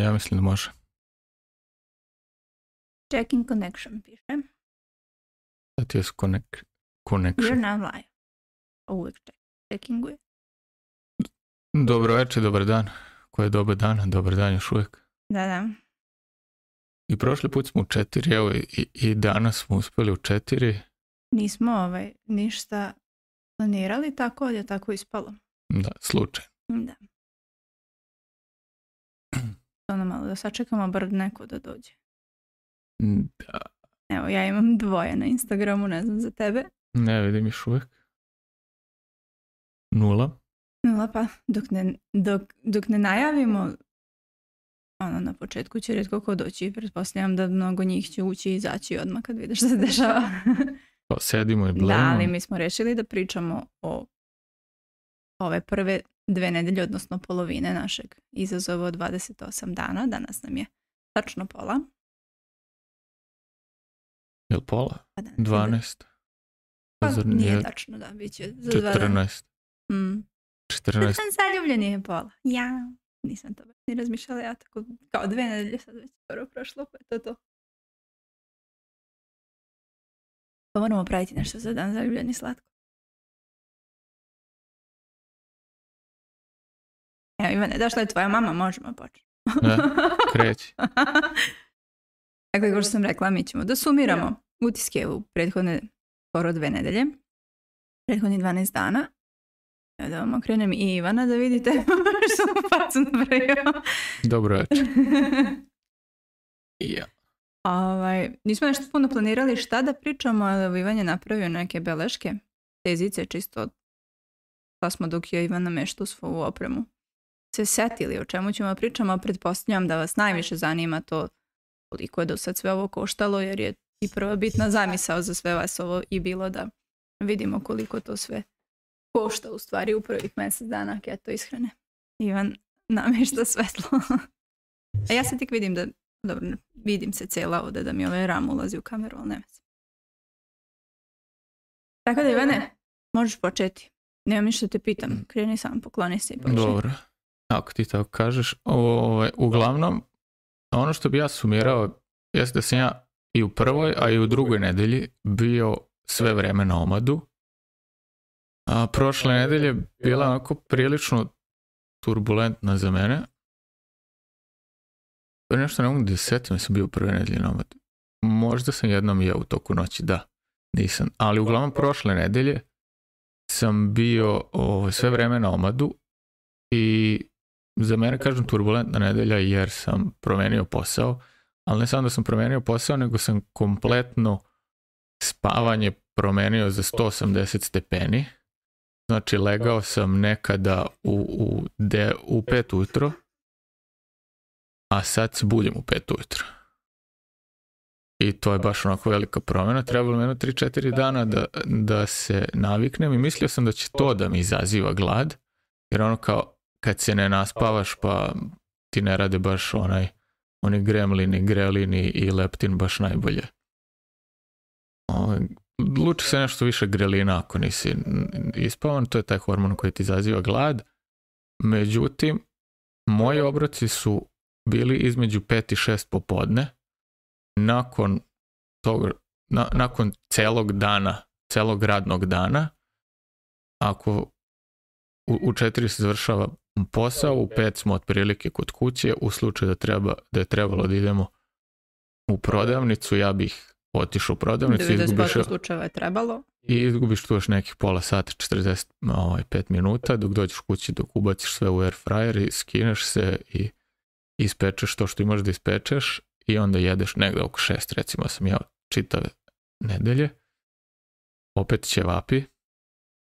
Ja mislim da može. Checking connection piše. Da ti je You're connection. now live. Uvijek checkinguje. Dobro večer, dobar dan. Ko je dobar dan? Dobar dan još uvijek. Da. I prošli put smo u 4, evo i danas smo uspjeli u 4. Nismo ništa planirali, tako je tako ispalo. Da, slučaj. Da. Ono malo da sačekamo bar neko da dođe. Da. Evo, ja imam 2 na Instagramu, ne znam za tebe. Ne vidim još uvijek. 0. Pa dok ne najavimo, na početku će rijetko ko doći. Pretpostavljam da mnogo njih će ući i izaći odmah kad vidiš što se dešava. Pa sedimo i blemo. Da, ali mi smo rešili da pričamo o ove prve 2 nedelje, odnosno polovine našeg izazova od 28 dana. Danas nam je tačno pola. Jel pola? Pa da, 12. Pa Zar nije tačno, da, bit će za 2 dana. 14. 14. Zaljubljeni je pola. Ja, nisam to baš ni razmišljala, ja tako kao 2 nedelje sad već skoro prošlo, pa je to. Pa moramo praviti nešto za dan zaljubljeni slatko. Evo Ivane, došla je tvoja mama, možemo početi. Da, kreći. Dakle, kao što sam rekla, mi ćemo da sumiramo utiske u prethodne skoro 2 nedelje. Prethodnih 12 dana. Evo da vam okrenem i Ivana da vidite što mu facu napravio. Dobro večer. Ja. Nismo nešto puno planirali šta da pričamo, ali Ivan je napravio neke beleške, tezice, čisto pa smo dok je Ivan nameštao svoju opremu se setili o čemu ćemo pričamo. Pretpostavljam da vas najviše zanima to koliko je do sad sve ovo koštalo, jer je i prva bitna zamisao za sve vas ovo i bilo da vidimo koliko to sve košta u stvari u prvih mjesec dana keto ishrane. Ivan namješta svetlo. A ja se tek vidim da, dobro, vidim se cijela ovdje da mi ovaj ram ulazi u kameru, ali nema se. Tako da Ivane, možeš početi. Nemam ništa te pitam, kreni sam, pokloni se i počni. Dobro, ako ti tako kažeš. Uglavnom, ono što bi ja sumirao jeste da sam ja i u prvoj, a i u drugoj nedelji bio sve vreme na omadu. A prošle nedelje bila onako prilično turbulentna za mene. Nešto ne mogu da se setim, sam bio u prve nedelje na omadu. Možda sam jednom jeo u toku noći, da, nisam. Ali uglavnom prošle nedelje sam bio sve vreme na omadu i za mene kažem turbulentna nedelja jer sam promenio posao, ali ne samo da sam promenio posao, nego sam kompletno spavanje promenio za 180 stepeni. Znači legao sam nekada u 5 ujutro, a sad se budim u 5 ujutro. I to je baš onako velika promjena. Trebalo mi 3-4 dana da se naviknem i mislio sam da će to da mi izaziva glad, jer ono kao kad se ne naspavaš pa ti ne rade baš oni gremlini, grelini i leptin baš najbolje. Luči se nešto više grelina ako nisi ispavan, to je taj hormon koji ti izaziva glad. Međutim, moji obroci su bili između 5 i 6 popodne. Nakon celog dana, celog radnog dana, ako u 4 se završava posao, u 5 smo otprilike kod kuće, u slučaju da je trebalo da idemo u prodavnicu, ja bih otišao u prodavnicu i izgubiš tu još nekih pola sata, 45 minuta, dok dođeš kući, dok ubaciš sve u air fryer i skineš se i ispečeš to što imaš da ispečeš i onda jedeš negde oko 6, recimo sam jeo čitave nedelje. Opet ćevapi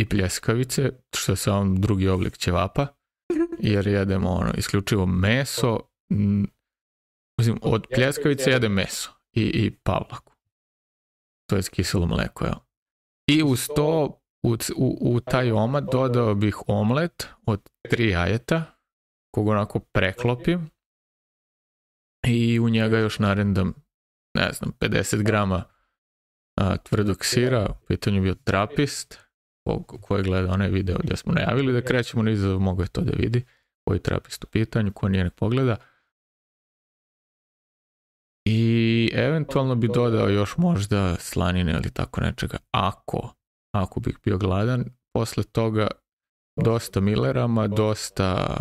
i pljeskavice, što je samo drugi oblik ćevapa, jer jedemo isključivo meso. Od pljeskavice jedem meso i pavlaku. To je kiselo mleko, evo. I uz to u taj omad dodao bih omlet od 3 jajeta, kog onako preklopim i u njega još narendam, 50 grama tvrdog sira. U pitanju bio trapist, ko je gledao onaj video gdje smo najavili da krećemo na izazov, mogo je to da vidi, koji trapist u pitanju, ko nije ne pogleda. eventualno bi dodao još možda slanine ili tako nečega, ako bih bio gladan. Posle toga dosta Millerama, dosta,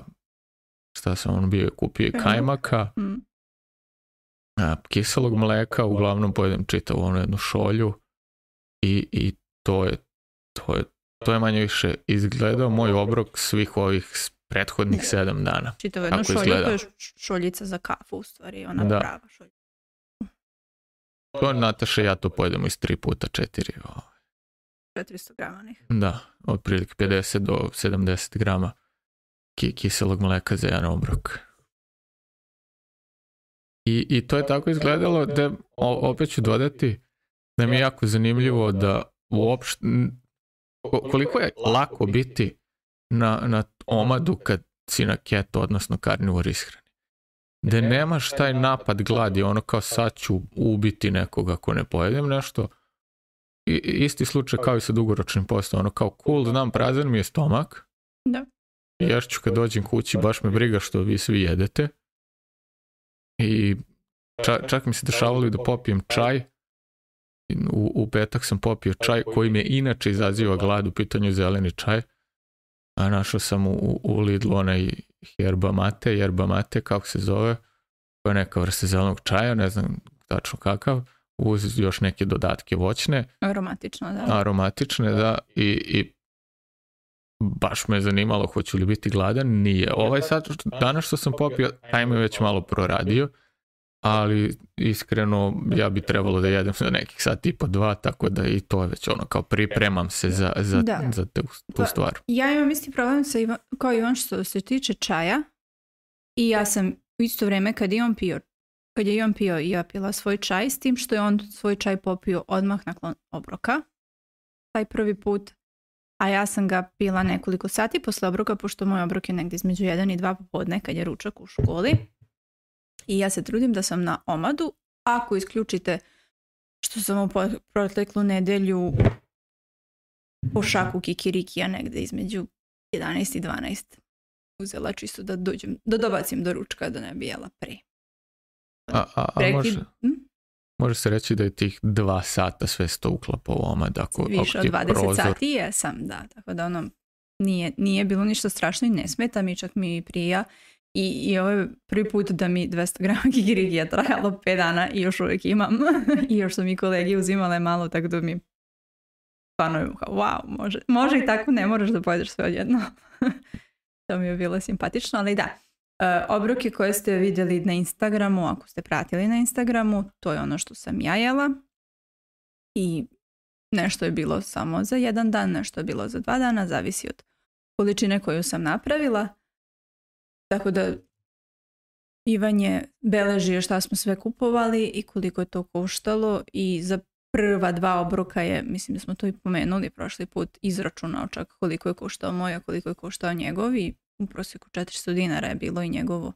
šta sam bio kupio, kajmaka, kiselog mleka, uglavnom pojedem čitavu onu jednu šolju i to je manje više izgledao moj obrok svih ovih prethodnih 7 dana. Čitavu jednu šolju, to je šoljica za kafu u stvari, ona prava šoljica. To Nataša i ja to pojedemo iz 3 puta 4. 400 grama njih. Da, otprilike 50 do 70 grama kiselog mleka za jedan obrok. I to je tako izgledalo da, opet ću dodati, da mi je jako zanimljivo da uopšte, koliko je lako biti na omadu kad si na keto, odnosno karnivor ishrani. Da nemaš taj napad gladi, ono kao sad ću ubiti nekoga ako ne pojedem nešto. Isti slučaj kao i sa dugoročnim postom, ono kao cool, znam, prazan mi je stomak. Da. Ješću kad dođem kući, baš me briga što vi svi jedete. I čak mi se dešavalo i da popijem čaj. U petak sam popio čaj koji me inače izaziva glad, u pitanju zeleni čaj. A našao sam u Lidlu onaj yerba mate, kako se zove, koja je neka vrsta zelenog čaja, ne znam tačno kakav, uz još neke dodatke voćne. Aromatične, da. I baš me je zanimalo hoću li biti gladan, nije. Sad, danas što sam popio, taj me već malo proradio, ali iskreno ja bi trebalo da jedem za nekih sat i po 2, tako da i to je već ono kao pripremam se za tu stvar. Ja imam isti problem kao Ivan što se tiče čaja i ja sam u isto vrijeme kad je Ivan pio i ja pila svoj čaj, s tim što je on svoj čaj popio odmah nakon obroka, taj prvi put, a ja sam ga pila nekoliko sati posle obroka, pošto moj obrok je negdje između 1 i 2 popodne kad je ručak u školi. I ja se trudim da sam na omadu, ako isključite što sam u proteklu nedelju po šaku kikirikija negdje između 11 i 12 uzela čisto da dobacim do ručka da ne bi jela pre. Može se reći da je tih 2 sata sve sto uklapa u omad. Više od 20 sati jesam, da. Tako da ono nije bilo ništa strašno i ne smeta mi, čak mi prija. I ovo je prvi put da mi 200 grama kikirikija trajalo 5 dana i još uvijek imam. I još su mi kolegi uzimale malo, tako da mi stvarno wow, može i tako, ne moraš da pojedeš sve odjedno. To mi je bilo simpatično, ali da. Obroke koje ste vidjeli na Instagramu, ako ste pratili na Instagramu, to je ono što sam ja jela. I nešto je bilo samo za 1 dan, nešto je bilo za 2 dana, zavisi od količine koju sam napravila. Tako da Ivan je beležio šta smo sve kupovali i koliko je to koštalo i za prva 2 obroka je, mislim da smo to i pomenuli prošli put, izračunao čak koliko je koštao moj, a koliko je koštao njegov i u prosjeku 400 dinara je bilo i njegovo.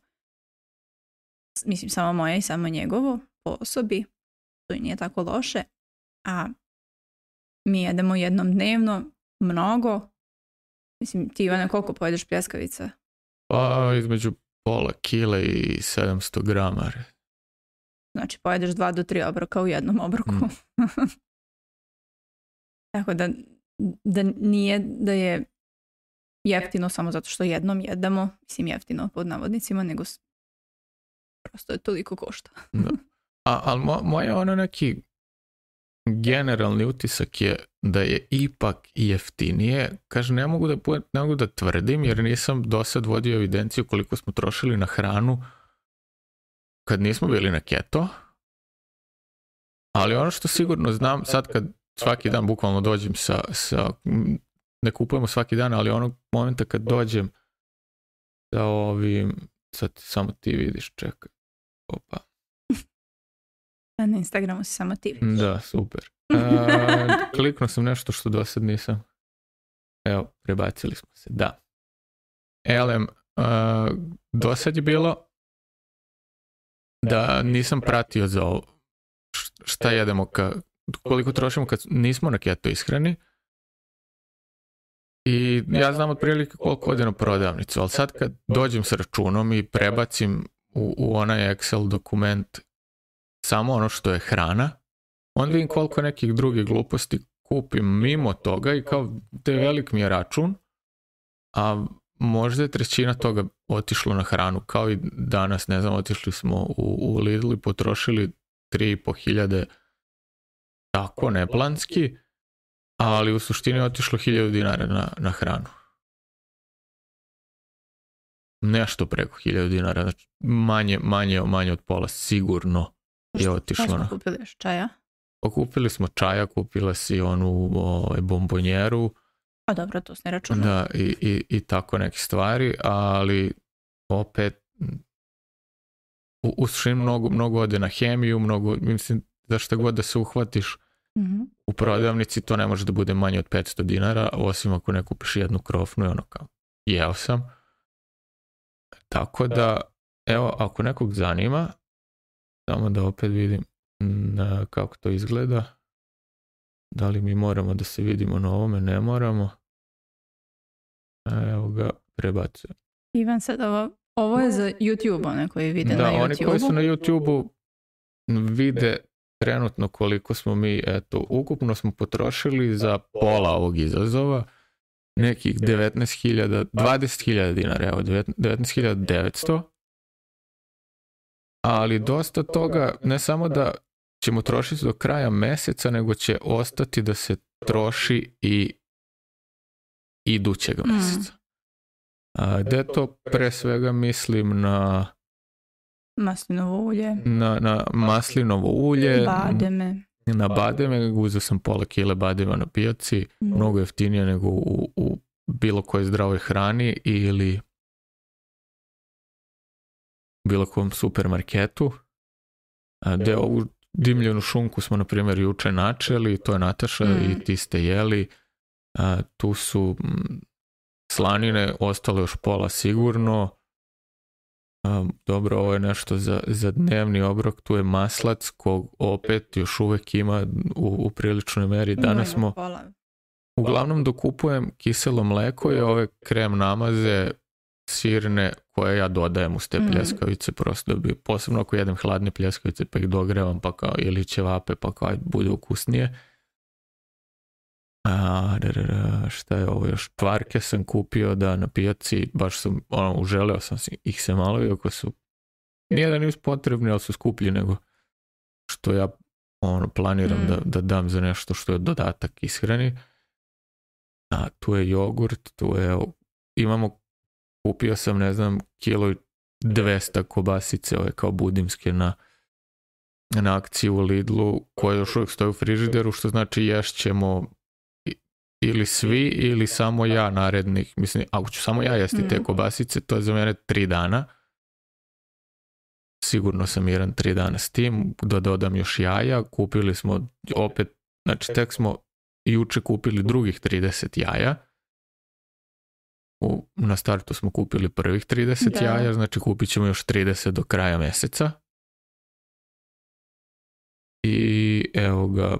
Mislim samo moje i samo njegovo po osobi, to i nije tako loše, a mi jedemo jednom dnevno, mnogo. Mislim, ti Ivane, koliko pojedeš pljeskavica? Pa između pola kile i 700 grama. Znači pojedeš 2 do 3 obroka u jednom obroku. Tako da nije da je jeftino samo zato što jednom jedemo, mislim jeftino pod navodnicima, nego prosto je toliko košta. Ali moja ono neki generalni utisak je da je ipak jeftinije. Kažem, ne mogu da tvrdim jer nisam do sad vodio evidenciju koliko smo trošili na hranu kad nismo bili na keto. Ali ono što sigurno znam, sad kad svaki dan bukvalno dođem ne kupujemo svaki dan, ali onog momenta kad dođem sa ovim, sad samo ti vidiš, čekaj. Opa. Na Instagramu si samo ti vidiš. Da, super. Kliknuo sam nešto što do sad nisam. Evo, prebacili smo se, da. Elem, do sad je bilo da nisam pratio za ovo šta jedemo, koliko trošimo kad nismo na keto ishrani. I ja znam otprilike koliko ode na prodavnicu, ali sad kad dođem s računom i prebacim u onaj Excel dokument samo ono što je hrana, onda vidim koliko nekih drugih gluposti kupim mimo toga i kao da je velik mi je račun, a možda je trećina toga otišlo na hranu, kao i danas, ne znam, otišli smo u Lidl i potrošili 3.500 tako neplanski, ali u suštini je otišlo 1.000 dinara na hranu. Nešto preko 1.000 dinara, znači manje od pola sigurno je otišlo. Šta smo kupili još čaja? Kupili smo čaja, kupila si onu bombonjeru. A dobro, to se ne računa. Da, i tako neke stvari, ali opet u suštini mnogo ode na hemiju, mislim, za šta god da se uhvatiš u prodavnici, to ne može da bude manje od 500 dinara, osim ako ne kupiš jednu krofnu i ono kao, jeo sam. Tako da, evo, ako nekog zanima, samo da opet vidim kako to izgleda. Da li mi moramo da se vidimo na ovome? Ne moramo. Evo ga, prebacujem. Ivan, sad ovo je za YouTube, one koji vide na YouTube-u. Da, oni koji su na YouTube-u vide trenutno koliko smo mi, eto, ukupno smo potrošili za pola ovog izazova nekih 20.000 dinara, evo, 19.900, ali dosta toga, ne samo da ćemo trošiti do kraja meseca, nego će ostati da se troši i idućeg meseca. Gde to pre svega mislim na maslinovo ulje, na maslinovo ulje, bademe. Na bademe, uzeo sam pola kile badema na pijaci, mnogo jeftinije nego u bilo kojoj zdravoj hrani ili bilo kom supermarketu. Gde ovu dimljenu šunku smo, na primjer, juče načeli, to je Nataša i ti ste jeli. Tu su slanine, ostalo još pola sigurno. Dobro, ovo je nešto za dnevni obrok, tu je maslac kog opet još uvek ima u priličnoj meri. Danas smo uglavnom dokupujem kiselo mleko i ove krem namaze sirne koje ja dodajem uz te pljeskavice, prosto da bi, posebno ako jedem hladne pljeskavice pa ih dogrevam pa kao, ili ćevape pa kao bude ukusnije. Šta je ovo još? Tvarke sam kupio da na pijaci, baš sam, uželeo sam ih se malo, iako su, nije da nisu potrebni, ali su skuplji nego što ja planiram da dam za nešto što je dodatak ishrani. Tu je jogurt, tu je, kupio sam, ne znam, 1.200 kobasice, ove kao budimske na akciji u Lidlu, koje još uvijek stoje u frižideru, što znači ješćemo ili svi ili samo ja narednih, mislim, ako ću samo ja jesti te kobasice, to je za mene 3 dana. Sigurno sam miran 3 dana s tim, da dodam još jaja, kupili smo opet, znači tek smo juče kupili drugih 30 jaja. Na startu smo kupili prvih 30 jaja, znači kupit ćemo još 30 do kraja meseca. I evo ga,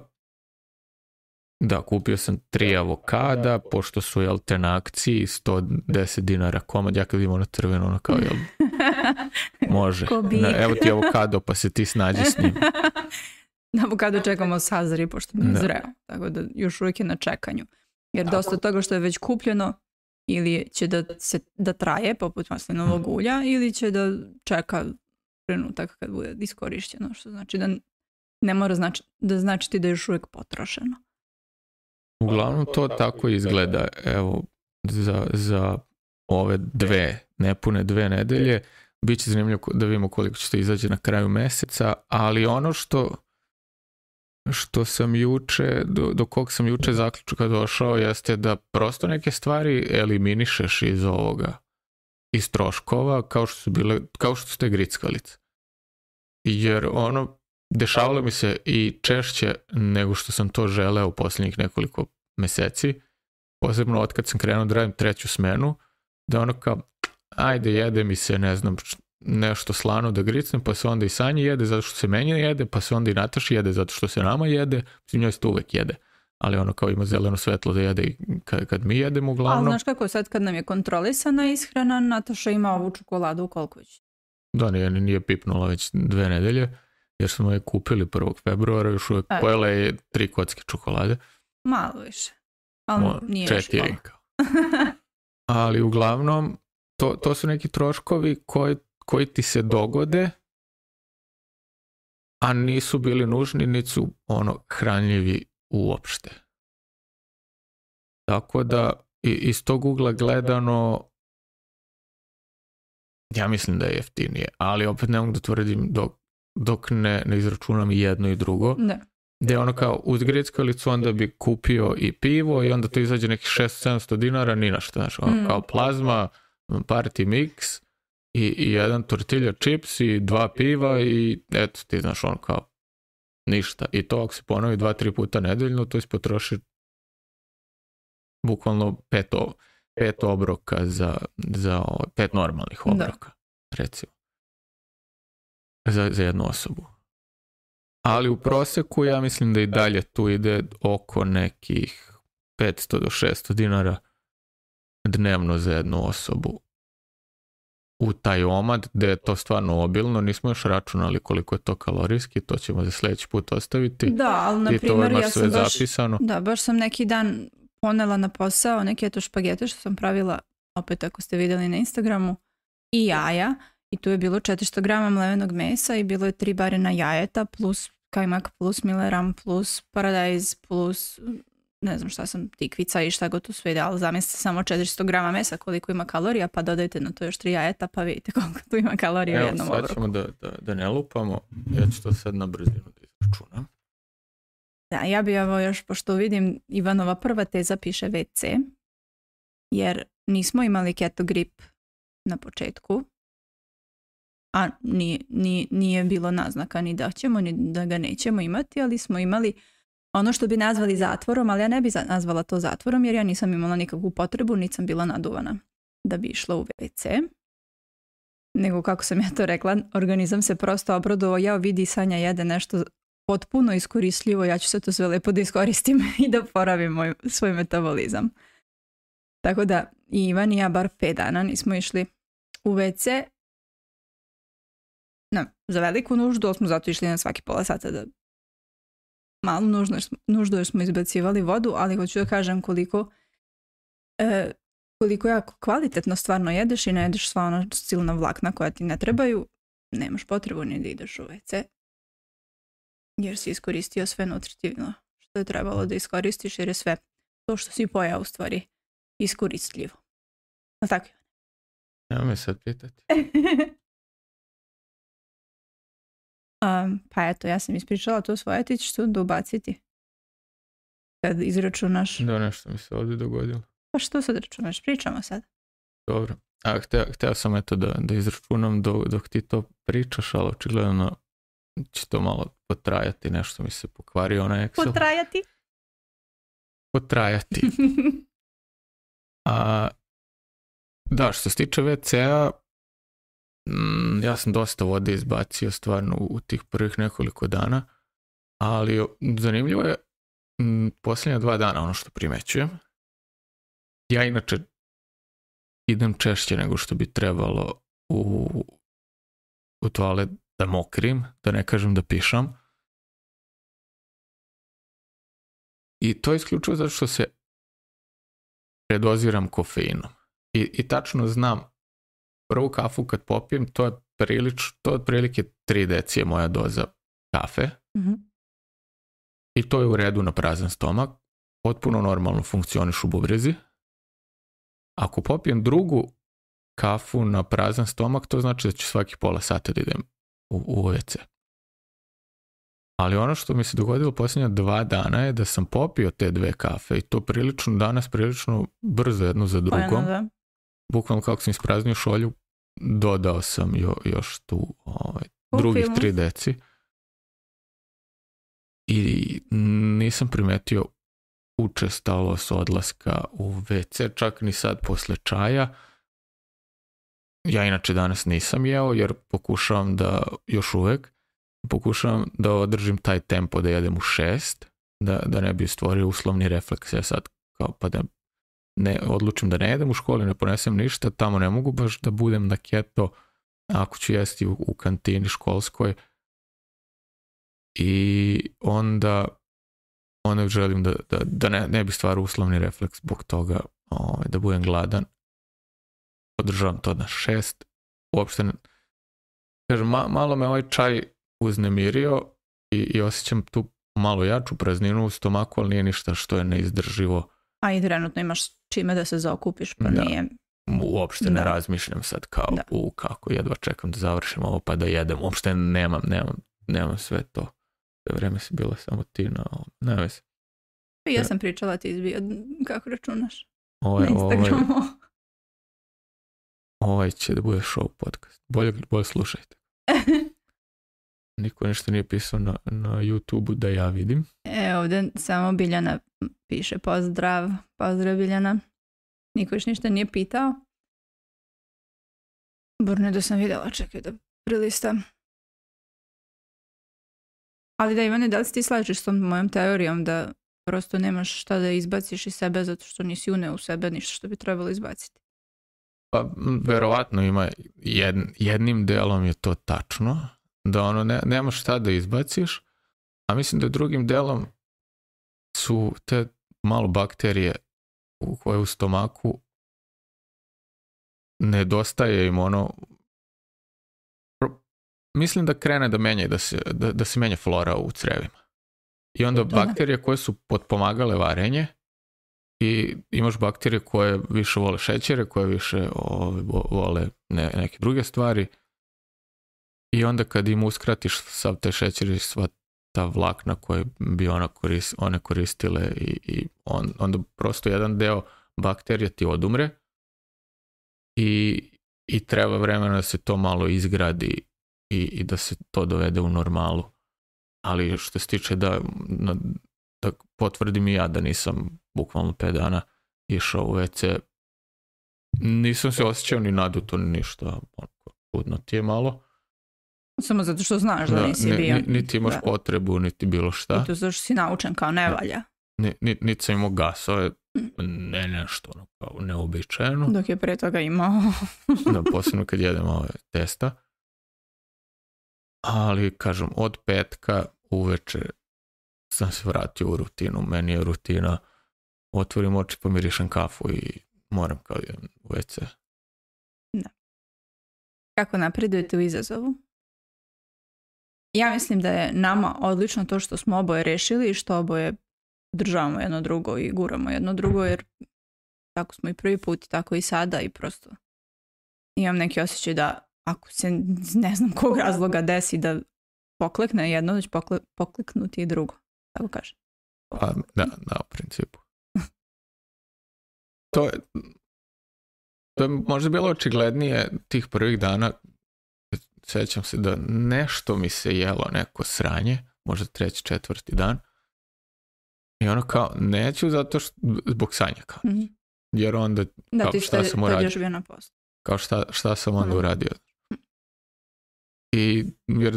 da, kupio sam 3 avokada, pošto su, jel, te na akciji, 110 dinara komad, ja kad imam na crveno, ono kao, jel, može. Evo ti avokado, pa se ti snađi s njim. Na avokado čekamo sazri, pošto nije zreo, tako da još uvijek je na čekanju. Jer dosta toga što je već kupljeno, ili će da traje, poput maslinovog ulja, ili će da čeka trenutak kad bude iskorišćeno, što znači da ne mora značiti da je još uvijek potrošeno. Uglavnom to tako izgleda, evo, za ove nepune 2 nedelje. Biće zanimljivo da vidimo koliko će to izaći na kraju meseca, ali ono što sam juče, do kog sam juče zaključka došao, jeste da prosto neke stvari eliminišeš iz ovoga, iz troškova, kao što su te grickalice. Jer dešavalo mi se i češće nego što sam to želeo u posljednjih nekoliko meseci, posebno od kad sam krenuo da radim 3. smenu, da kao, ajde, jede mi se, ne znam, nešto slano da gricnem, pa se onda i Sanji jede zato što se meni jede, pa se onda i Nataši jede zato što se nama jede, mislim, njoj se to uvek jede, ali kao ima zeleno svetlo da jede kad mi jedemo uglavnom. A znaš kako, sad kad nam je kontrolisana ishrana, Nataša ima ovu čokoladu u Kolković. Da, nije pipnula već 2 nedelje. jer smo je kupili 1. februara, još uvijek pojela je 3 kocke čokolade. Malo više. Ali nije još 4 kao. Ali uglavnom, to su neki troškovi koji ti se dogode, a nisu bili nužni, niti su hranljivi uopšte. Tako da, iz tog ugla gledano, ja mislim da je jeftinije, ali opet ne mogu da tvrdim dok ne izračunam i jedno i drugo. Ne. Gde je kao uz grickalicu onda bi kupio i pivo i onda to izađe nekih 600-700 dinara, ni na što, kao plazma, party mix i jedan tortilja chips i 2 piva i eto ti znaš kao ništa. I to ako se ponovi 2-3 puta nedeljno, to ispotroši bukvalno 5 obroka za 5 normalnih obroka, recimo. Za jednu osobu. Ali u proseku ja mislim da i dalje tu ide oko nekih 500 do 600 dinara dnevno za jednu osobu u taj omad, gde je to stvarno obilno. Nismo još računali koliko je to kalorijski, to ćemo za sljedeći put ostaviti. Da, ali na primjer ja sam zapisano. Baš sam neki dan ponela na posao neke špagete što sam pravila, opet ako ste vidjeli na Instagramu, i jaja. I tu je bilo 400 grama mlevenog mesa i bilo je 3 barena jajeta plus kajmak plus mileram plus paradajz plus ne znam šta sam, tikvica i šta god tu sve ide, ali zamislite samo 400 grama mesa koliko ima kalorija, pa dodajte na to još 3 jajeta pa vidite koliko tu ima kalorija u jednom obroku. Evo sad ćemo da ne lupamo, ja ću to sad na brzinu da izračunam. Da, ja bi još, pošto vidim Ivanova prva teza piše WC, jer nismo imali keto grip na početku, a nije bilo naznaka ni da ćemo, ni da ga nećemo imati, ali smo imali ono što bi nazvali zatvorom, ali ja ne bi nazvala to zatvorom, jer ja nisam imala nikakvu potrebu, niti sam bila naduvana da bi išla u WC. Nego, kako sam ja to rekla, organizam se prosto obradovao, ja vidi Sanja jede nešto potpuno iskoristljivo, ja ću se to sve lepo da iskoristim i da poravim svoj metabolizam. Tako da i Ivan i ja bar 5 dana nismo išli u WC. Za veliku nuždu smo zato išli na svaki pola sata da malu nuždu jer smo izbacivali vodu, ali hoću da kažem koliko jako kvalitetno stvarno jedeš i ne jedeš sva ona silna vlakna koja ti ne trebaju, nemaš potrebu ni da ideš u WC jer si iskoristio sve nutritivno što je trebalo da iskoristiš, jer je sve to što si pojao u stvari iskoristljivo. A tako je. Evo me sad pitati. Pa eto, ja sam ispričala to svoje, ti ćeš tu da ubaciti kad izračunaš. Da, nešto mi se ovdje dogodilo. Pa što sad računaš? Pričamo sad. Dobro. Hteo sam eto da izračunam dok ti to pričaš, ali očigledno će to malo potrajati, nešto mi se pokvario onaj Excel. Potrajati. Da, što se tiče WC-a, ja sam dosta vode izbacio stvarno u tih prvih nekoliko dana, ali zanimljivo je posljednja 2 dana ono što primećujem. Ja inače idem češće nego što bi trebalo u toalet da mokrim, da ne kažem da pišam. I to je isključivo zato što se predoziram kofeinom. I tačno znam, prvu kafu kad popijem, to je otprilike 3 decije moja doza kafe. Mm-hmm. I to je u redu na prazan stomak. Potpuno normalno funkcioniš u bubrezi. Ako popijem drugu kafu na prazan stomak, to znači da ću svaki pola sata da idem u WC. Ali ono što mi se dogodilo posljednja 2 dana je da sam popio te 2 kafe i to danas prilično brzo jedno za drugom. Bukvalno kako sam ispraznio šolju, dodao sam još tu drugih 3 deci. I nisam primetio učestalost odlaska u WC, čak ni sad posle čaja. Ja inače danas nisam jeo jer pokušavam da održim taj tempo da jedem u 6, da ne bi stvorio uslovni refleks. Ja sad kao pa da ne odlučim da ne jedem u školi, ne ponesem ništa, tamo ne mogu baš da budem na keto, ako ću jesti u kantini školskoj, i onda želim da ne bi stvar uslovni refleks zbog toga da budem gladan. Podržavam to na 6. Uopšte kažem, malo me ovaj čaj uznemirio i osjećam tu malo jaču prazninu u stomaku, ali nije ništa što je neizdrživo. A i trenutno imaš čime da se zaokupiš, pa nije... Uopšte ne razmišljam sad kao kako jedva čekam da završim ovo pa da jedem. Uopšte nemam sve to. Sve vreme si bila samo ti na vezi. Ja sam pričala, ti izbio kako računaš na Instagramu. Ovaj će da bude show podcast. Bolje slušajte. Niko ništa nije pisao na YouTube-u da ja vidim. Ovdje samo Biljana piše pozdrav Biljana. Niko još ništa nije pitao. Borne da sam vidjela, čekaj da prilistam. Ali da, Ivane, da li si ti slažeš s tom mojom teorijom da prosto nemaš šta da izbaciš iz sebe zato što nisi uneo u sebe ništa što bi trebalo izbaciti? Pa, verovatno ima jednim delom je to tačno, da nemaš šta da izbaciš, a mislim da drugim delom su te malo bakterije koje u stomaku nedostaje im mislim da krene da menja da se menja flora u crevima. I onda bakterije koje su potpomagale varenje i imaš bakterije koje više vole šećere, koje više vole neke druge stvari i onda kad im uskratiš sav te šećeri, sva ta vlakna koje bi one koristile i onda prosto jedan deo bakterija ti odumre i treba vremena da se to malo izgradi i da se to dovede u normalu. Ali što se tiče da potvrdim i ja da nisam bukvalno 5 dana išao u WC, nisam se osjećao ni naduto ni ništa, čudno ti je malo. Samo zato što znaš da nisi bio. Niti imaš potrebu, niti bilo šta. I to zato što si naučen kao ne valja. Niti sam imao gasove, ne nešto kao neobičajeno. Dok je pre toga imao. Posebno kad jedem ove testa. Ali, kažem, od petka uveče sam se vratio u rutinu. Meni je rutina, otvorim oči, pomirišem kafu i moram kao jedan u WC. Da. Kako napredujete u izazovu? Ja mislim da je nama odlično to što smo oboje rešili i što oboje državamo jedno drugo i guramo jedno drugo, jer tako smo i prvi put, tako i sada i prosto imam neki osjećaj da ako se ne znam kog razloga desi da poklekne jedno, da će pokleknuti i drugo. Tako kažem. Pa, da, u principu. To je možda bilo očiglednije tih prvih dana. Sjećam se da nešto mi se jelo, neko sranje, možda 3., 4. dan. I ono kao, neću zato što, zbog sanja kao. Mm-hmm. Jer onda, kao, šta sam uradio? Kao šta sam onda uradio? I jer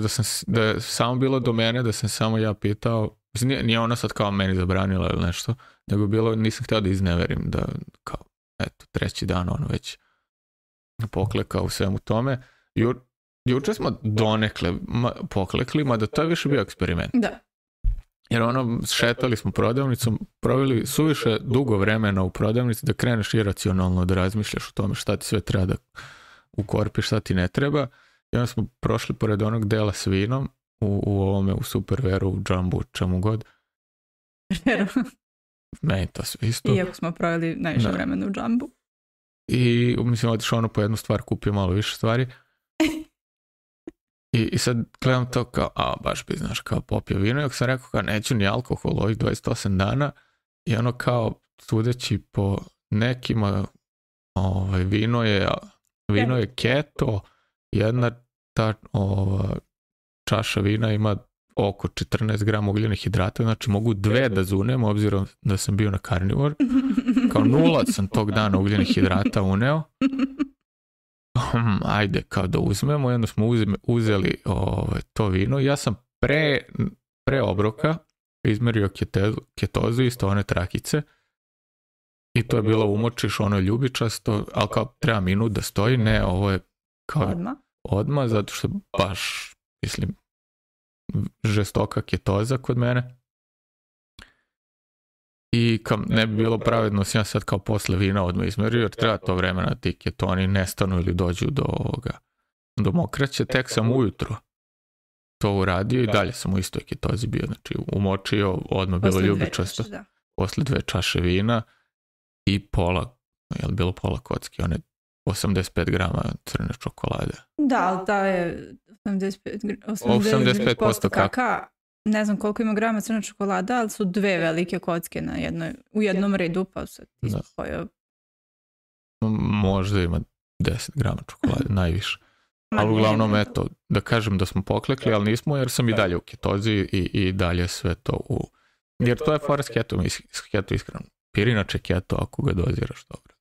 da je samo bilo do mene, da sam samo ja pitao, nije ona sad kao meni zabranila ili nešto, nego bilo, nisam htio da izneverim, da kao, eto, 3. dan ono već poklekao u svemu tome. Juče smo donekle poklekli, mada to je više bio eksperiment. Da. Jer šetali smo prodavnicom, proveli suviše dugo vremena u prodavnici da kreneš iracionalno da razmišljaš o tome šta ti sve treba da ukorpiš, šta ti ne treba. I onda smo prošli pored onog dela s vinom u Superveru, u Jumbu, čemu god. Meni to sve isto. Iako smo proveli najviše vremena u Jumbu. I mislim, otišao po jednu stvar, kupio malo više stvari. I sad gledam to kao, baš bi, znaš, kao popio vino. I ako sam rekao kao, neću ni alkohol ovih 28 dana. I ono kao, sudeći po nekima, vino je keto. Jedna ta čaša vina ima oko 14 grama ugljenih hidrata, znači mogu 2 da zunem, obzirom da sam bio na karnivor. Kao 0 sam tog dana ugljenih hidrata uneo. Ajde, kao da uzmemo. I onda smo uzeli to vino. Ja sam pre obroka izmerio ketozu, isto one trakice. I to je bilo umočiš, ono ljubičasto, ali kao treba minut da stoji. Ne, ovo je kao odmah, zato što baš, mislim, žestoka ketoza kod mene. I ne bi bilo pravedno sam ja sad kao posle vina odmah izmerio, jer treba to vremena ti ketoni nestanu ili dođu do mokraće. Tek sam ujutro to uradio i dalje sam u istoj ketozi bio. Znači umočio, odmah bilo ljubičasto. Posle 2 čaše vina i bilo pola kocke, one 85 grama crne čokolade. Da, ali ta je 85% kakao. Ne znam koliko ima grama crna čokolada, ali su 2 velike kocke u jednom redu, pa se ti spojio. Možda ima 10 grama čokolade, najviše. Ali uglavnom, eto, da kažem da smo poklekli, ali nismo, jer sam i dalje u ketozi i dalje sve to Jer to je fora s keto ishranu. Pirinače keto ako ga doziraš dobro.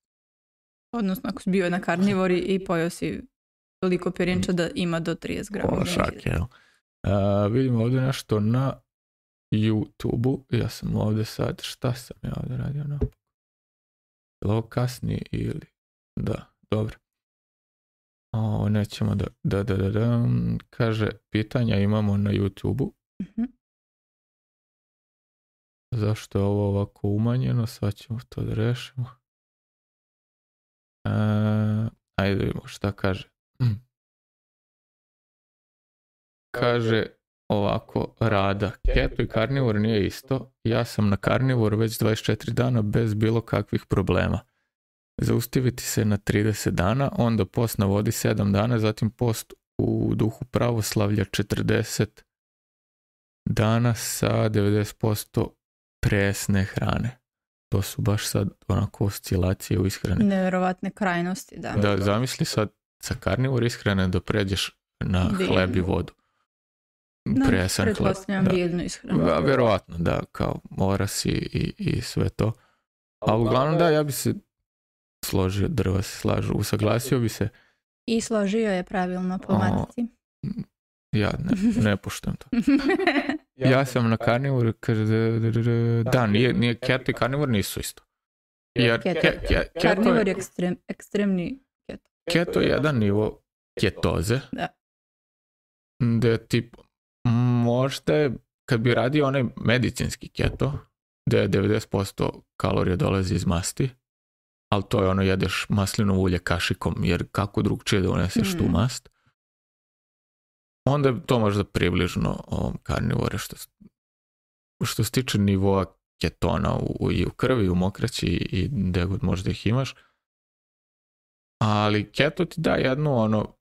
Odnosno, ako si bio na karnivori i pojao si toliko pirinča da ima do 30 grama. Šak, jel? Vidimo ovdje nešto na YouTube-u. Ja sam ovdje sad, šta sam ja ovdje radio? Je li ovo kasnije ili? Da, dobro. Ovo nećemo da. Kaže, pitanja imamo na YouTube-u. Zašto je ovo ovako umanjeno? Sad ćemo to da rešimo. Ajde vidimo šta kaže. Kaže ovako, Rada. Keto i karnivor nije isto. Ja sam na karnivoru već 24 dana bez bilo kakvih problema. Zaustaviti se na 30 dana, onda post na vodi 7 dana, zatim post u duhu pravoslavlja 40 dana sa 90% presne hrane. To su baš sad onako oscilacije u ishrani. Neverovatne krajnosti, da. Da, zamisli sad sa karnivor ishrane da pređeš na hleb i vodu. Presan hleb. Pretpostavljam bijeljnu ishranu. Da, verovatno, da, kao orasi i sve to. A uglavnom da, ja bi se složio, drva se slažu, usaglasio bi se. I složio je pravilno po matici. Ja ne poštujem to. Ja sam na karnivoru, kaže, da, nije keto i karnivor nisu isto. Karnivor je ekstremni keto. Keto je jedan nivo ketoze. Da. Da tip, možda je, kad bi radio onaj medicinski keto, da je 90% kalorija dolazi iz masti, ali to je ono, jedeš maslinovo ulje kašikom, jer kako drugčije da uneseš tu mast. Onda je to možda približno ovom karnivore što se tiče nivoa ketona i u krvi, u mokraći i gde god možda ih imaš. Ali keto ti da jednu ono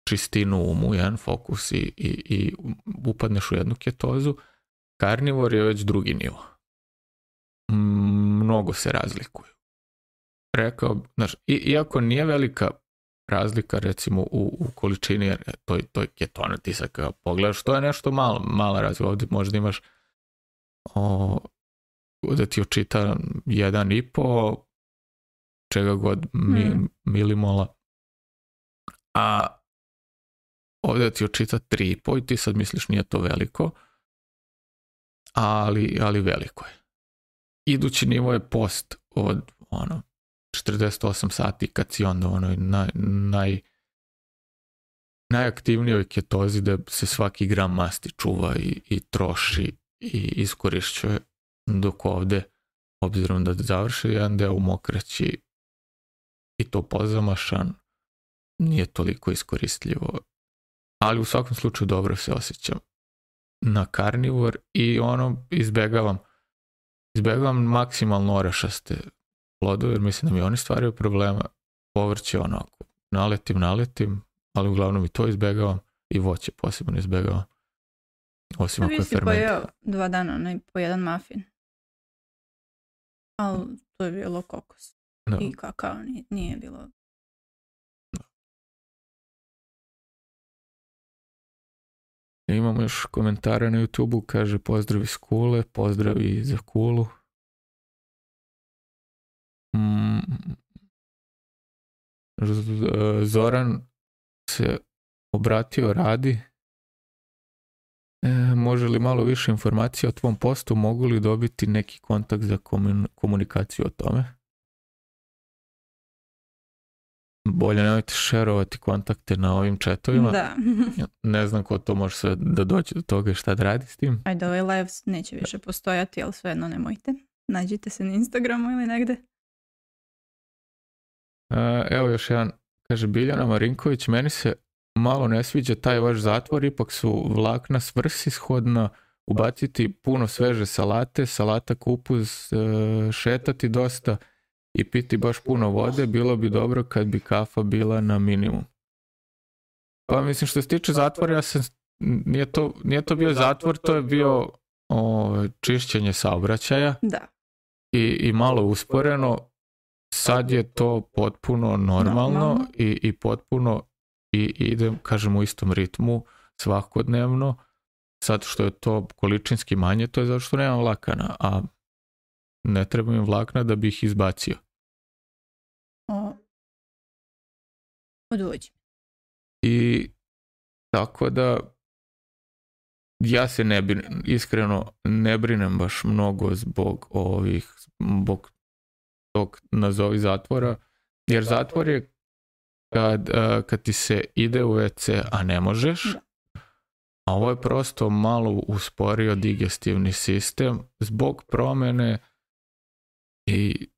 čistinu umu, jedan fokus i upadneš u jednu ketozu. Karnivor je već drugi nivo. Mnogo se razlikuju. Rekao, znaš, iako nije velika razlika recimo u količini, jer to je ketona, ti sad kada pogledaš, to je nešto mala razlika. Ovdje možda imaš da ti očita 1,5 čega god milimola, a ovdje ti očita 3,5 i ti sad misliš nije to veliko, ali veliko je. Idući nivo je post od 48 sati kad si onda najaktivnijoj ketozi da se svaki gram masti čuva i troši i iskorišćuje, dok ovdje, obzirom da završi jedan deo u mokraći i to pozamašan, nije toliko iskoristljivo. Ali u svakom slučaju dobro se osjećam na karnivor i izbegavam maksimalno orašaste plodove, jer mislim da mi oni stvaraju problema. Povrće onako, naletim, ali uglavnom i to izbegavam i voće posebno izbegavam. Osim ako je ferment. Vi si pojeo 2 dana po jedan muffin. Ali to je bilo kokos. No. I kakao nije bilo. No. Imamo još komentare na YouTube-u, kaže pozdrav iz Kule, pozdrav i za Kulu. Zoran se obratio Radi. Može li malo više informacija o tvom postu? Mogu li dobiti neki kontakt za komunikaciju o tome? bolje nemojte šerovati kontakte na ovim chatovima. Da. Ne znam ko to može sve da dođe do toga i šta da radi s tim. Ajde, ovaj live neće više postojati, ali svejedno nemojte. Nađite se na Instagramu ili negde. Evo još jedan, kaže Biljana Marinković, meni se malo ne sviđa taj vaš zatvor, ipak su vlakna svrsishodna, ubaciti puno sveže salate, salata kupus, šetati dosta i piti baš puno vode, bilo bi dobro kad bi kafa bila na minimum. Pa mislim što se tiče zatvora, nije to bio zatvor, to je bio čišćenje saobraćaja. Da. I malo usporeno. Sad je to potpuno normalno. I potpuno idem, kažem, u istom ritmu svakodnevno. Sad što je to količinski manje, to je zato što nemam vlakana, a ne treba mi vlakna da bi ih izbacio. Odvođi. I tako da ja se iskreno ne brinem baš mnogo zbog tog nazovi zatvora, jer zatvor je kad ti se ide u WC, a ne možeš, a ovo je prosto malo usporio digestivni sistem zbog promene i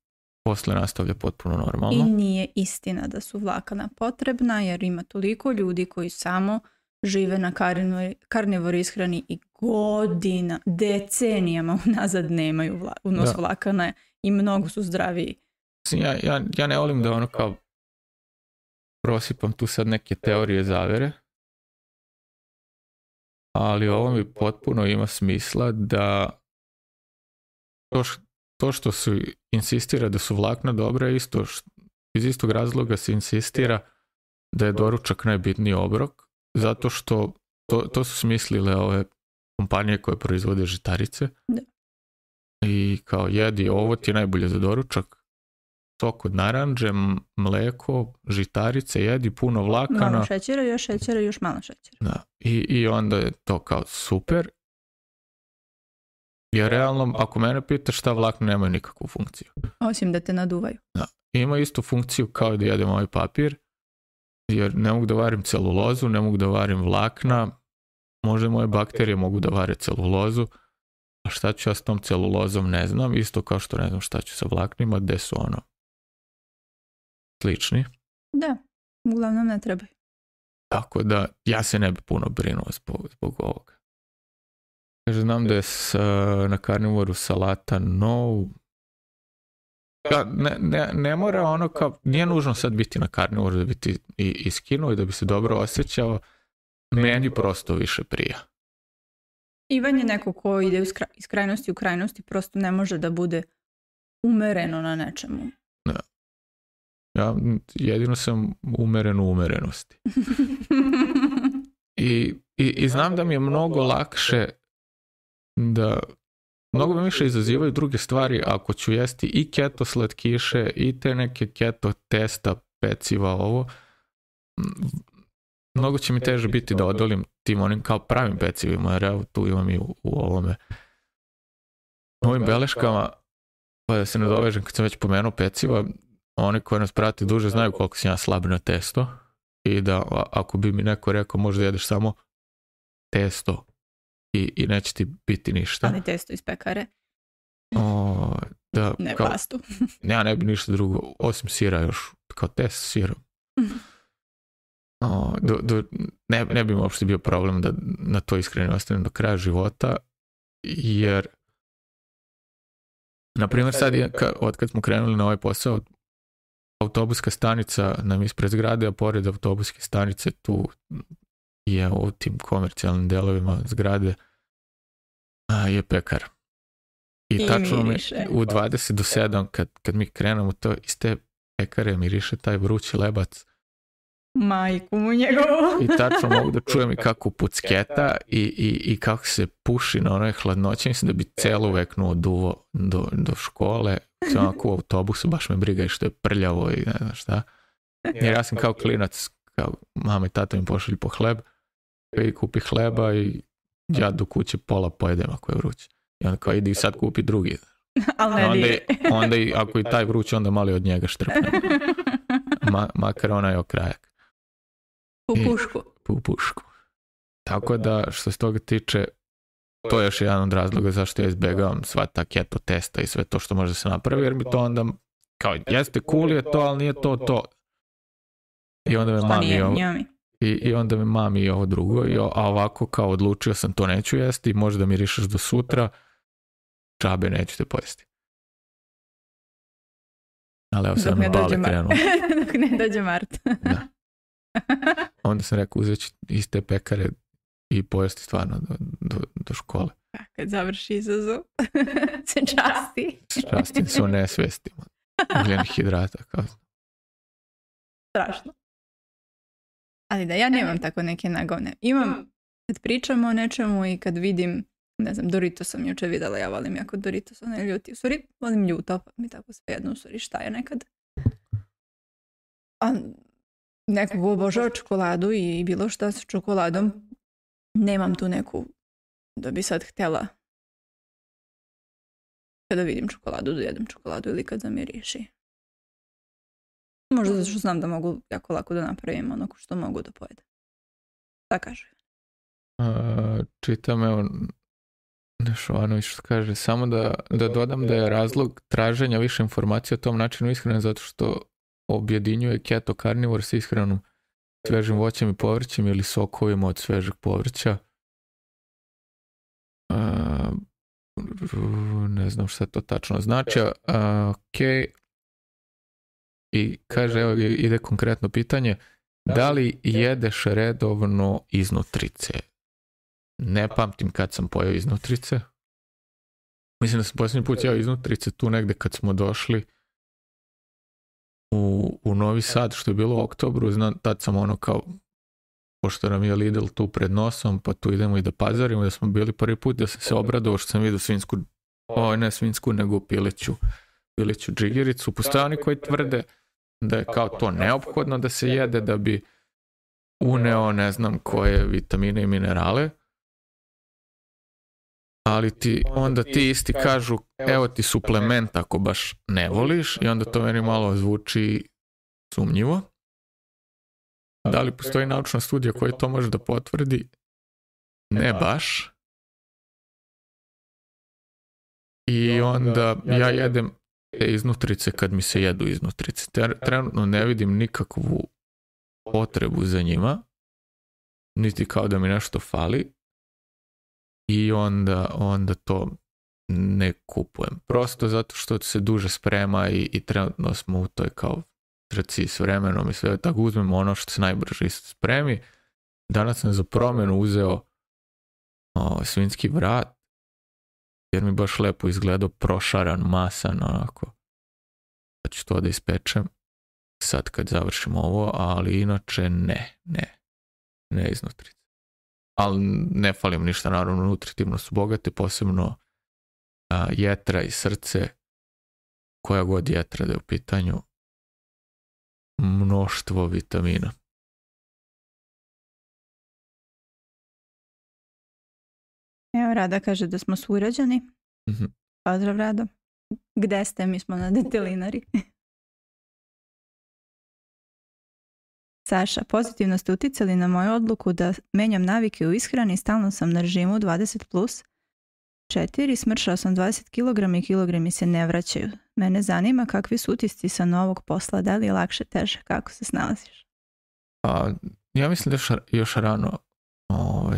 posle nastavlja potpuno normalno. I nije istina da su vlakana potrebna, jer ima toliko ljudi koji samo žive na karnivor ishrani i godina, decenijama unazad nemaju unos vlakana i mnogo su zdraviji. Ja ne volim da kao prosipam tu sad neke teorije zavere, ali ovo mi potpuno ima smisla da to što se insistira da su vlakna dobra, iz istog razloga se insistira da je doručak najbitniji obrok, zato što to su smislile ove kompanije koje proizvode žitarice. Da. I kao jedi, ovo ti je najbolje za doručak, sok od naranđe, mleko, žitarice, jedi puno vlakana. Malo šećera, još malo šećera. Da. I onda je to kao super. Jer realno, ako mene pitaš, šta vlakna nemaju nikakvu funkciju. Osim da te naduvaju. Da. Ima istu funkciju kao da jedem ovaj papir, jer ne mogu da varim celulozu, ne mogu da varim vlakna, možda moje bakterije mogu da vare celulozu, a šta ću ja s tom celulozom ne znam, isto kao što ne znam šta ću sa vlaknima, gde su slični. Da, uglavnom ne trebaju. Tako da ja se ne bi puno brinuo zbog ovoga. Kaže, znam da je na karnivoru salata no. Ne mora kao, nije nužno sad biti na karnivoru da bi ti i skinuo i da bi se dobro osjećao. Meni prosto više prija. Ivan je neko ko ide iz krajnosti u krajnosti, prosto ne može da bude umereno na nečemu. Da. Ja jedino sam umeren u umerenosti. I znam da mi je mnogo lakše da mnogo mi više izazivaju druge stvari ako ću jesti i keto slatkiše i te neke keto testa, peciva, ovo. Mnogo će mi teže biti da odolim tim onim kao pravim pecivima, jer evo tu imam i u ovome ovim beleškama, pa da se ne dovežem kad sam već pomenuo peciva, oni koji nas prate duže znaju koliko sam ja slab na testo i da ako bi mi neko rekao možda jedeš samo testo i neće ti biti ništa. Ali testo iz pekare. Ne pastu. Ja ne bi ništa drugo, osim sira još, kao test s sirom. Ne bi mi uopšte bio problem da na to iskreno ostanem do kraja života, jer na primjer sad od kad smo krenuli na ovaj posao, autobuska stanica nam ispred zgrade, a pored autobuske stanice tu je u tim komercijalnim delovima zgrade je pekar. I tačno mi u 20 do 7 kad mi krenemo to iz te pekare miriše taj vrući lebac. Majku mu njegovu. I tačno mogu da čujem i kako pucketa i kako se puši na onoj hladnoći. Mislim da bi celu veknu oduvo do škole. Sam onako u autobusu, baš me briga i što je prljavo i ne znam šta. Jer ja sam kao klinac, kao mama i tata mi pošalju po hleb i kupi hleba i ja do kuće pola pojedem ako je vruće. I onda kao idi sad kupi drugi. Ali ne onda, dire. onda i, ako i taj vruć, onda mali od njega štrpne. Makar onaj okrajak. U pušku. U pušku. Tako da, što se toga tiče, to je još jedan od razloga zašto ja izbjegavam sva ta keto testa i sve to što može se napravi, jer mi to onda, kao, jeste cool je to, ali nije to. I onda me mami i onda me mami ovo drugo, a ovako kao odlučio sam to neću jesti, možda mi rišeš do sutra, čabe neću te pojesti. Ali evo sad mi bale krenuo. Dok ne dođe Mart. Da. Onda sam rekao, uzet ću iz te pekare i pojesti stvarno do škole. Kad završi izazov, se časti. Častim se o nesvestima. Ugljenih hidrata. Kao. Strašno. Ali da, ja nemam tako neke nagovne. Imam, kad pričamo o nečemu i kad vidim, ne znam, Doritos sam jučer vidjela, ja volim jako Doritos, ne ljuti. U stvari, volim ljuto, pa mi tako svejedno, u stvari, šta je nekad. A nekog obožava čokoladu i bilo šta sa čokoladom, nemam tu neku da bi sad htjela kada vidim čokoladu, da jedem čokoladu ili kad zamiriši. Možda zato što znam da mogu jako lako da napravim ono što mogu da pojedem. Da kažu. Čitam, evo, Nešovanović što kaže, samo da dodam da je razlog traženja više informacija o tom načinu ishrane zato što objedinjuje keto karnivor s ishranom svežim voćem i povrćem ili sokovima od svežeg povrća. Ne znam šta to tačno znači. Ok. I kaže, evo ide konkretno pitanje, da li jedeš redovno iznutrice? Ne pamtim kad sam pojeo iznutrice. Mislim da sam posljednji put jeo iznutrice tu negde kad smo došli u Novi Sad, što je bilo u oktobru. Znam, tad sam ono kao, pošto nam je Lidl tu pred nosom, pa tu idemo i da pazarimo, da smo bili prvi put, da sam se obradovao što sam vidio svinsku, ne svinsku, nego pileću džigericu. Postoje oni koji tvrde da je kao to neophodno da se jede da bi uneo ne znam koje vitamine i minerale, ali onda ti isti kažu evo ti suplement ako baš ne voliš i onda to meni malo zvuči sumnjivo. Da li postoji naučna studija koja to može da potvrdi? Ne baš. I onda ja jedem te iznutrice kad mi se jedu iznutrice. Trenutno ne vidim nikakvu potrebu za njima, niti kao da mi nešto fali i onda to ne kupujem. Prosto zato što se duže sprema i trenutno smo u toj kao trci s vremenom i sve, tako uzmemo ono što se najbrže spremi. Danas sam za promjenu uzeo svinjski vrat, jer mi baš lepo izgledao prošaran, masan, onako. Pa ću to da ispečem sad kad završim ovo, ali inače ne iznutrice. Ali ne falim ništa, naravno, nutritivno su bogate, posebno jetra i srce, koja god jetra da je u pitanju, mnoštvo vitamina. Evo, Rada kaže da smo sugrađani. Mm-hmm. Pozdrav, Rado. Gde ste? Mi smo na detelinari. Saša, pozitivno ste uticali na moju odluku da menjam navike u ishrani, stalno sam na režimu 20+4, smršala sam 20 kg i kilogrami se ne vraćaju. Mene zanima kakvi su utisci sa novog posla, da li je lakše, teže, kako se snalaziš? Ja mislim da je još rano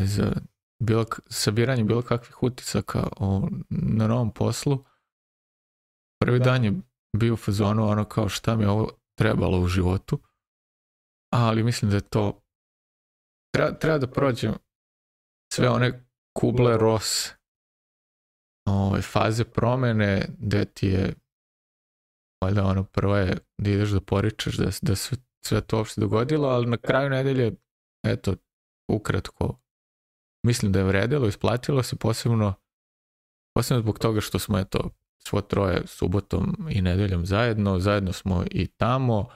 za sabiranje bilo kakvih utisaka na novom poslu. Prvi dan je bio u fazonu ono kao šta mi je ovo trebalo u životu, ali mislim da je to treba da prođem sve one Kubler-Ross faze promjene gde ti je valjda ono prva je da ideš da poričeš da sve to uopšte dogodilo, ali na kraju nedelje eto ukratko mislim da je vredilo, isplatilo se posebno zbog toga što smo eto svo troje subotom i nedeljom zajedno smo i tamo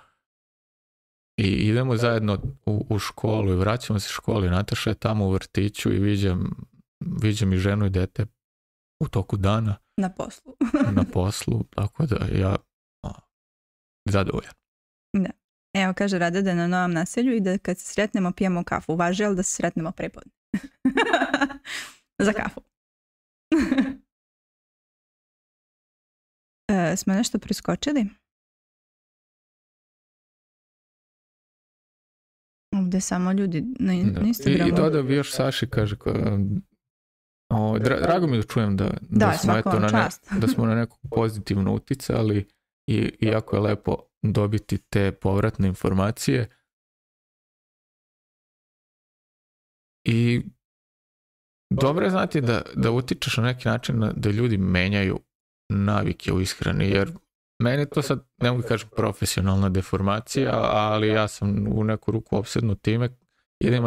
i idemo zajedno u školu i vraćamo se školi. Nataša je tamo u vrtiću i viđam i ženu i dete u toku dana Na poslu. na poslu, tako da ja zadovoljan. Da. Evo, kaže Rada da je na Novom naselju i da kad se sretnemo pijemo kafu. Važi, ali da se sretnemo prepodne. Za kafu. Smo nešto preskočili? Ovdje samo ljudi na Instagramu. I dodao bi još Saši, kaže, drago mi da čujem da smo na nekog pozitivno uticali i jako je lepo dobiti te povratne informacije. I dobro je znati da utičeš na neki način da ljudi menjaju navike u ishrani, jer meni to sad, ne mogu kažem profesionalna deformacija, ali ja sam u neku ruku opsednut time, idem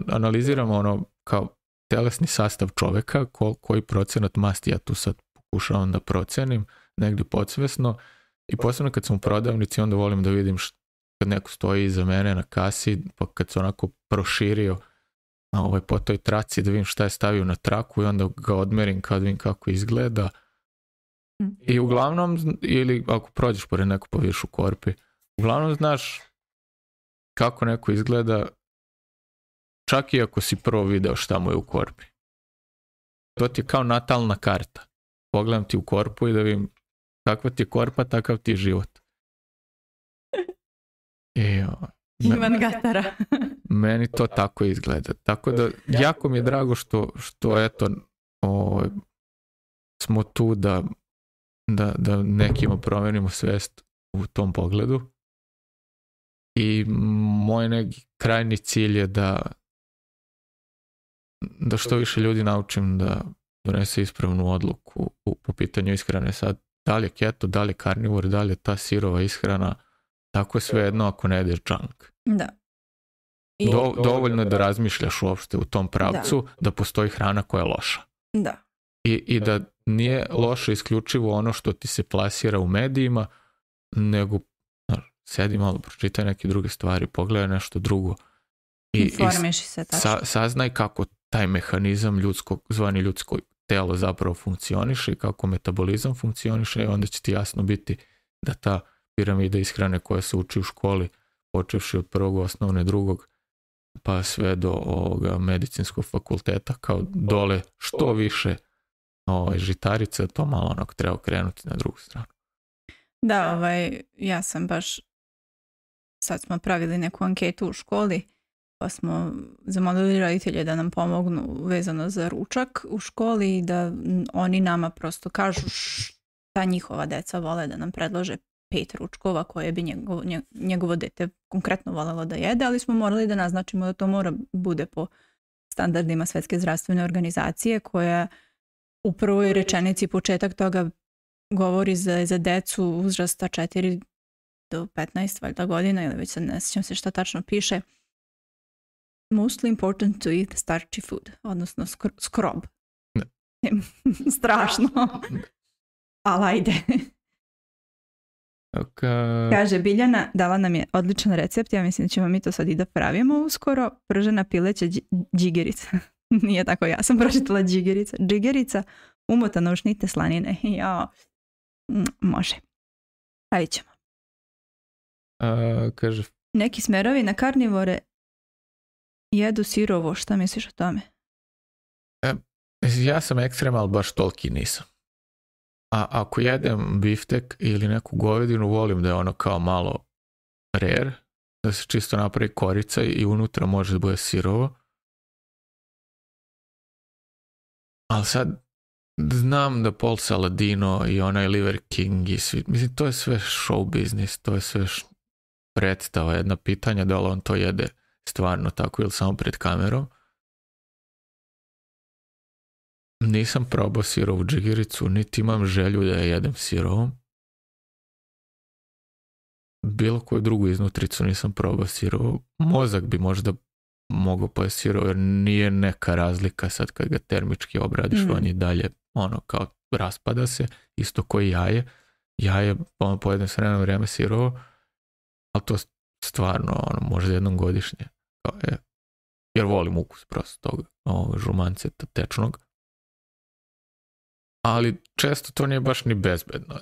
analiziram ono kao telesni sastav čoveka, koji procenat masti ja tu sad pokušavam da procenim, negdje podsvesno, i posebno kad sam u prodavnici, onda volim da vidim kad neko stoji iza mene na kasi, pa kad se onako proširio po toj traci, da vidim šta je stavio na traku i onda ga odmerim kad vidim kako izgleda. I uglavnom, ili ako prođeš pored neko pa vidiš u korpi, uglavnom znaš kako neko izgleda, čak i ako si prvo video šta mu je u korpi. To ti je kao natalna karta. Pogledam ti u korpu i da vidim kakva ti je korpa, takav ti je život. Ivan Gatara. Meni to tako izgleda. Tako da jako mi je drago što eto smo tu da nekima promenimo svest u tom pogledu. I moj neki krajnji cilj je da što više ljudi naučim da donese ispravnu odluku po pitanju ishrane. Sad, da li je keto, da li je karnivor, da li je ta sirova ishrana, tako je svejedno ako ne jedeš junk. Da. Dovoljno je da razmišljaš uopšte u tom pravcu, da postoji hrana koja je loša. Da. I da nije loše isključivo ono što ti se plasira u medijima, nego sedi malo, pročitaj neke druge stvari, pogledaj nešto drugo. I saznaj kako taj mehanizam zvani ljudsko telo zapravo funkcioniše i kako metabolizam funkcioniše, i onda će ti jasno biti da ta piramida ishrane koja se uči u školi, počevši od prvog osnovne, drugog, pa sve do ovoga medicinskog fakulteta, kao dole što više žitarice, to malo onako treba okrenuti na drugu stranu. Da, ja sam baš, sad smo pravili neku anketu u školi, pa smo zamolili roditelje da nam pomognu vezano za ručak u školi i da oni nama prosto kažu šta njihova deca vole, da nam predlože 5 ručkova koje bi njegovo dete konkretno voljelo da jede, ali smo morali da naznačimo da to mora bude po standardima Svetske zdravstvene organizacije, koja u prvoj rečenici početak toga govori za decu uzrasta 4 do 15 valjda godina, ili već sad ne sjećam se šta tačno piše. Mostly important to eat starchy food, odnosno skrob. Strašno. Ali ajde. Kaže, Biljana dala nam je odličan recept, ja mislim da ćemo mi to sad i da pravimo uskoro. Pržena pileća džigerica. Nije tako, ja sam pročitala džigerica. Džigerica umotana u šnite slanine. Može. Pravit ćemo. Kaže, neki smerovi na karnivore jedu sirovo, šta misliš o tome? Ja sam ekstrem, ali baš toliki nisam. A ako jedem biftek ili neku govedinu, volim da je ono kao malo rare, da se čisto napravi korica i unutra može da bude sirovo. Ali sad znam da Paul Saladino i onaj Liver King i svi, mislim, to je sve show business, to je sve predstava, jedna pitanja da li on to jede stvarno tako ili samo pred kamerom. Nisam probao sirovu džigericu, niti imam želju da je jedem sirovom. Bilo koju drugu iznutricu nisam probao sirovu. Mozak bi možda mogao pojesti sirovo, jer nije neka razlika sad kad ga termički obradiš, on je dalje ono kao raspada se, isto koji jaje. Jaje pojedem s vremena vrijeme sirovo, ali to stvarno možda jednom godišnje. Jer volim ukus prosto toga, žumanceta tečnog. ali često to nije baš ni bezbedno.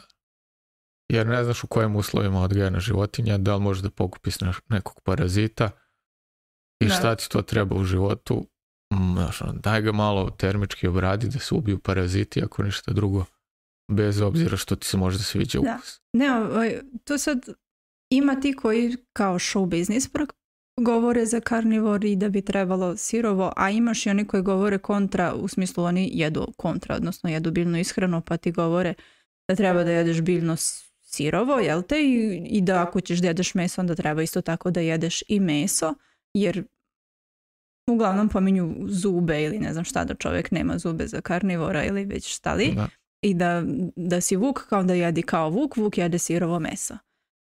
Jer ne znaš u kojim uslovima odgajana životinja, da li možeš da pokupiš nekog parazita i šta ti to treba u životu. Daj ga malo termički obradi da se ubiju paraziti ako ništa drugo, bez obzira što ti se možda sviđa ukus. Ne, to sad ima ti koji kao show business govore za karnivori da bi trebalo sirovo, a imaš i oni koji govore kontra, u smislu oni jedu kontra, odnosno jedu biljnu ishranu, pa ti govore da treba da jedeš biljno sirovo, jel te? I da ako ćeš da jedeš meso, onda treba isto tako da jedeš i meso, jer uglavnom pominju zube ili ne znam šta, da čovjek nema zube za karnivora ili već šta li. Da. I da si vuk kao da jedi kao vuk jede sirovo meso.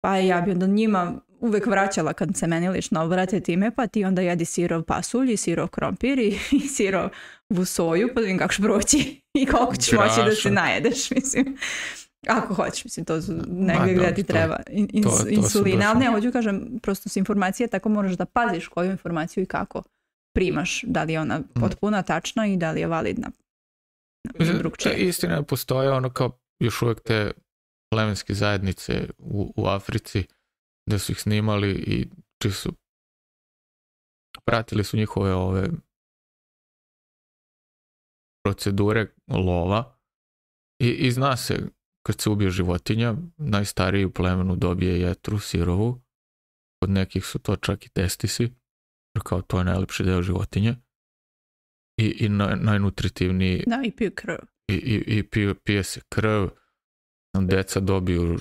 Pa ja bi onda njima uvek vraćala kad se meni lično obrate time, pa ti onda jedi sirov pasulj i sirov krompir i sirovu soju, pa da vidim kako ćeš proći i koliko ćeš moći da se najedeš, mislim. Ako hoćeš, mislim, to su negdje gdje ti treba insulina, ali ne, hoću kažem, prosto su informacije, tako moraš da paziš koju informaciju i kako primaš, da li je ona potpuna, tačna i da li je validna. Istina postoje ono kao još uvijek te plemenske zajednice u Africi da su ih snimali i čisto pratili su njihove ove procedure lova i zna se kad se ubije životinja, najstariji u plemenu dobije jetru sirovu, kod nekih su to čak i testisi, kao to je najlepši deo životinje i najnutritivniji. Da, i piju krv. I pije se krv, deca dobiju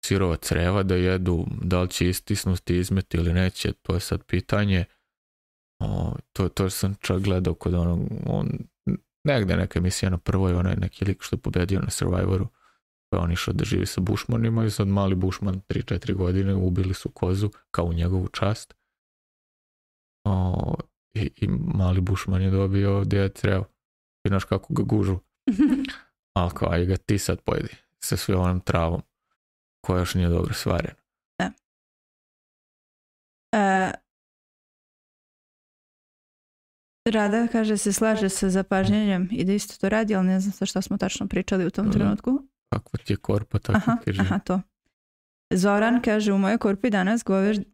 sirova creva da jedu, da li će istisnuti, izmeti ili neće, to je sad pitanje. To sam čak gledao kod negde neka emisija na prvoj, onaj neki lik što je pobedio na Survivoru, pa on išao da živi sa bušmanima i sad mali bušman 3-4 godine ubili su kozu kao u njegovu čast. I mali bušman je dobio djed crev. I znaš kako ga gužu. Ali kao, aj ga ti sad pojedi sa sve onom travom koja još nije dobro svarena. Rada kaže se slaže sa zapažnjenjem i da isto to radi, ali ne znam sa šta smo tačno pričali u tom trenutku. Kakva ti je korpa, tako kaže. Aha, to. Zoran kaže, u mojoj korpi danas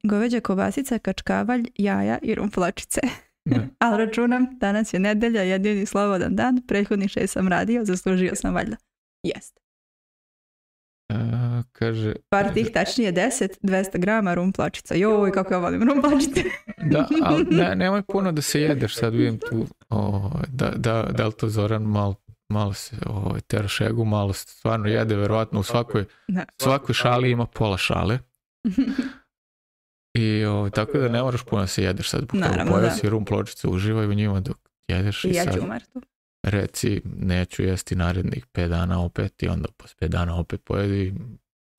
goveđa kobasica, kačkavalj, jaja i rumplačice. Ali računam, danas je nedelja, jedini slobodan dan, prethodnih 6 sam radio, zaslužio sam valjda. Jeste. Kaže... Par tih tačnije 200 grama rumplačica. Joj, kako ja volim rumplačice. Da, ali nemoj puno da se jedeš, sad vidim tu, da li to Zoran malo se tera šegu, malo se stvarno jede, verovatno u svakoj šali ima pola šale. I tako da ne moraš puno da se jedeš sad. Pojeo si rum pločice, uživaj u njima dok jedeš. I ja ću umartu. Reci, neću jesti narednih 5 dana opet i onda posle 5 dana opet pojedi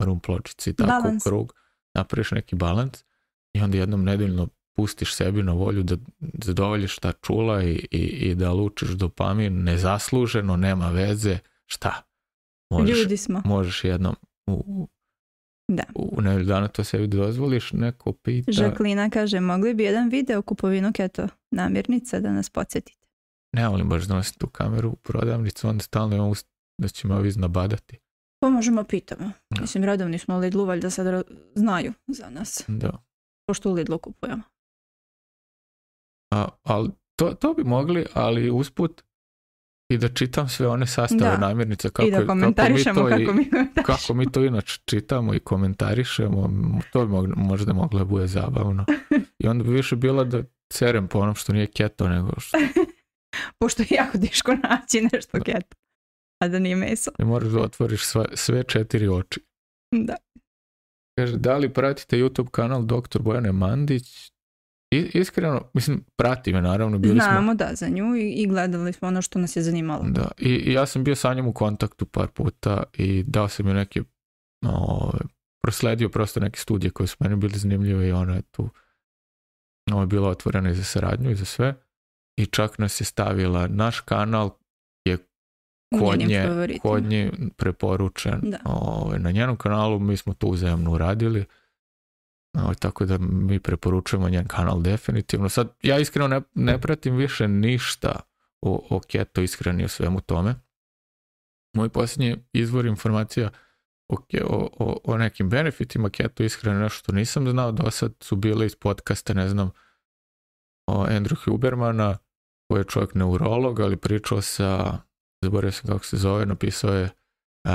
rum pločice i tako u krug. Napraviš neki balans i onda jednom nedeljno pustiš sebi na volju da zadovoljiš ta čula i da lučiš dopamin nezasluženo, nema veze, šta? Ljudi smo. Možeš jednom u nedelju dana to sebi dozvoliš, neko pita. Žaklina kaže, mogli bi jedan video kupovinu keto namirnica da nas podsjetite. Ne volim baš da nosim tu kameru u prodavnicu, onda stalno imam da će me ovi iznabadati. Pa možemo pitamo. Mislim, redovni smo u Lidlu, valjda sad znaju za nas. Da. Pošto u Lidlu kupujemo. Ali to bi mogli, ali usput i da čitam sve one sastave namirnica i da komentarišemo kako mi to inače čitamo i komentarišemo, to bi možda moglo da bude zabavno. I onda bi više bilo da cerem po onom što nije keto nego što... Pošto je jako teško naći nešto keto, a da nije meso. I moraš da otvoriš sve 4 oči. Da. Kaže, da li pratite YouTube kanal Dr. Bojane Mandić? Iskreno, mislim, prati me naravno. Znamo da za nju i gledali smo ono što nas je zanimalo. Da, i ja sam bio sa njom u kontaktu par puta i dao sam joj neke, prosledio prosto neke studije koje su meni bili zanimljive i ona je tu bila otvorena i za saradnju i za sve. I čak nas je stavila, naš kanal je kod nje preporučen na njenom kanalu, mi smo to uzajamno uradili. Tako da mi preporučujemo njen kanal definitivno. Sad, ja iskreno ne pratim više ništa o keto ishrani o svemu tome. Moj posljednji izvor informacija o nekim benefitima keto ishrane, nešto što nisam znao do sad, su bile iz podcasta, ne znam, o Andrew Hubermana, koji je čovjek neurolog, ali pričao sa, zaboravio sam kako se zove, napisao je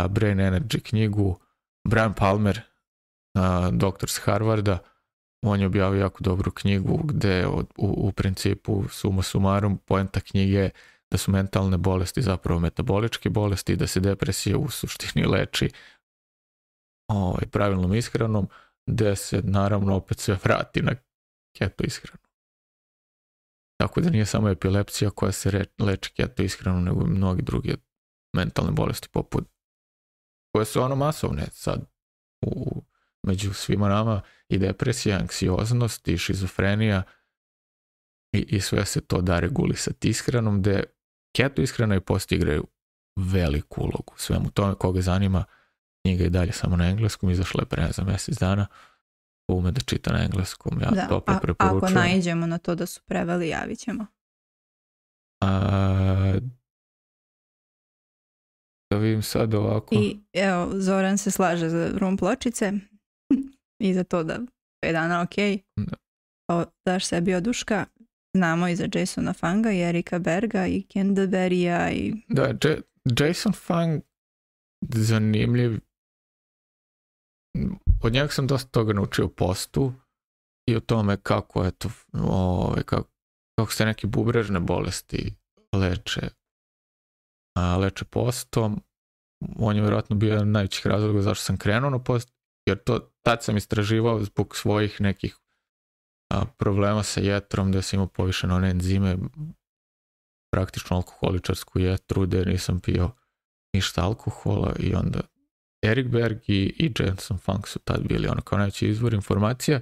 Brain Energy knjigu, Brian Palmer, doktor s Harvarda, on je objavio jako dobru knjigu gde u principu suma sumarum poenta knjige da su mentalne bolesti zapravo metaboličke bolesti i da se depresija u suštini leči pravilnom ishranom, gde se naravno opet sve vrati na keto ishranu. Tako da nije samo epilepsija koja se leči keto ishranom, nego i mnogi druge mentalne bolesti poput, koje su masovne sad među svima nama, i depresija, anksioznost i šizofrenija i sve se to da regulisati ishranom, gde keto ishrana i post igraju veliku ulogu svemu tome. Koga zanima, knjiga i dalje samo na engleskom, izašla je pre za mjesec dana, ume da čita na engleskom, ja toplo preporučujem. Ako naiđemo na to da su preveli, javit ćemo. Da vidim sad ovako. I evo, Zoran se slaže za rum pločice i za to da 5 dana ok. Daš sebi oduška. Znamo i za Jasona Fanga i Erika Berga i Canterbury-a i... Da, Jason Fung zanimljiv. Od njega sam dosta toga naučio o postu i o tome kako kako se neke bubrežne bolesti leče postom. On je vjerojatno bio jedan od najvećih razloga zašto sam krenuo na post, jer tad sam istraživao zbog svojih nekih problema sa jetrom, da sam imao povišene one enzime, praktično alkoholičarsku jetru, da nisam pio ništa alkohola, i onda Erik Berg i Jason Fung su tad bili kao najveći izvor informacija.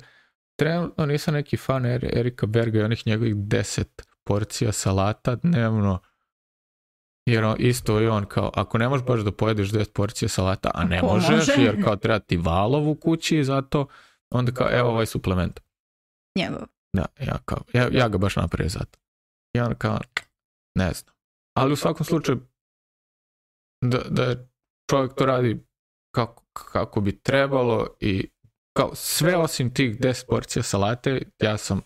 Trenutno nisam neki fan Erika Berga i onih njegovih 10 porcija salata dnevno, jer isto je on kao, ako ne možeš baš da pojedeš 10 porcija salata, a ne možeš, jer kao treba ti valov u kući, zato onda kao, evo ovaj suplement. Njegov. Da, ja ga baš napravio zato. I on kao, ne znam. Ali u svakom slučaju, da čovjek to radi kako bi trebalo i kao sve osim tih 10 porcija salate, ja sam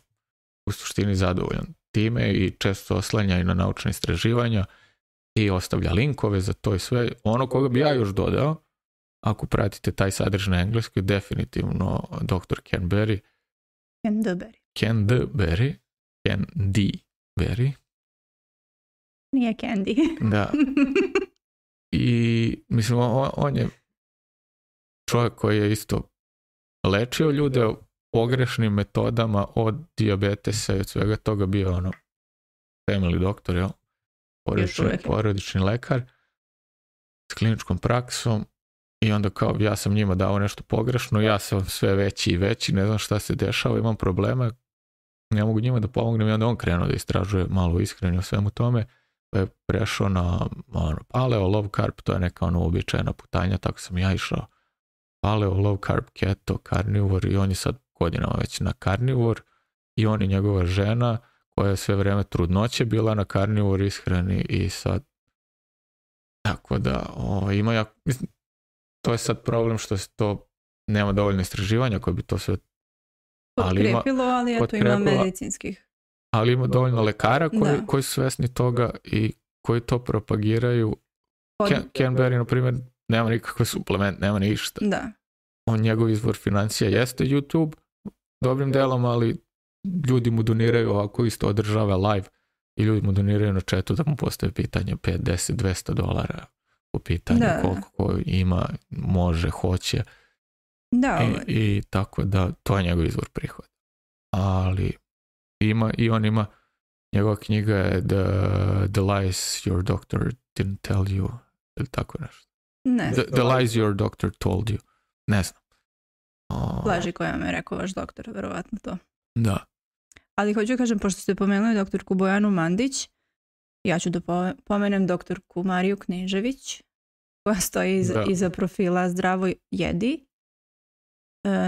u suštini zadovoljan time i često oslanja i na naučne istraživanja i ostavlja linkove za to i sve. Ono koga bi ja još dodao, ako pratite taj sadržaj na engleskoj, definitivno dr. Canterbury. Nije Candy. Da. I mislim, on je čovjek koji je isto lečio ljude pogrešnim metodama od dijabetesa i od svega toga, bio family doktor, jel? Porodični lekar s kliničkom praksom, i onda kao ja sam njima dao nešto pogrešno, ja sam sve veći i veći, ne znam šta se dešava, imam probleme, ne mogu njima da pomognem, i onda on krenuo da istražuje malo ishranu o svemu tome, pa je prešao na paleo, low carb, to je neka uobičajena putanja, tako sam ja išao paleo, low carb, keto, carnivore, i on je sad godinama već na carnivore, i on i njegova žena koja je sve vreme trudnoće bila na carnivore ishrani, i sad tako da ima mislim, to je sad problem što se to nema dovoljno istraživanja koje bi to sve potkrepilo, ali eto ima medicinskih. Ali ima dovoljno lekara koji su svesni toga i koji to propagiraju. Canterbury, na primjer, nema nikakve suplement, nema ništa. Da. Njegov izvor financija jeste YouTube dobrim delom, ali ljudi mu doniraju, ovako isto održava live, i ljudi mu doniraju na chatu da mu postave pitanje $5, $10, $200 po pitanju koliko ima, može, hoće. Da, I tako da to je njegov izvor prihoda. Ali on ima, njegova knjiga je The Lies Your Doctor Didn't Tell You, ili tako nešto. Ne. The Lies Your Doctor Told You. Ne znam. Laži koja vam je rekao vaš doktor, verovatno to. Da. Ali hoću kažem, pošto ste pomenuli doktorku Bojanu Mandić, ja ću da pomenem doktorku Mariju Knežević, koja stoji iza profila Zdravo jedi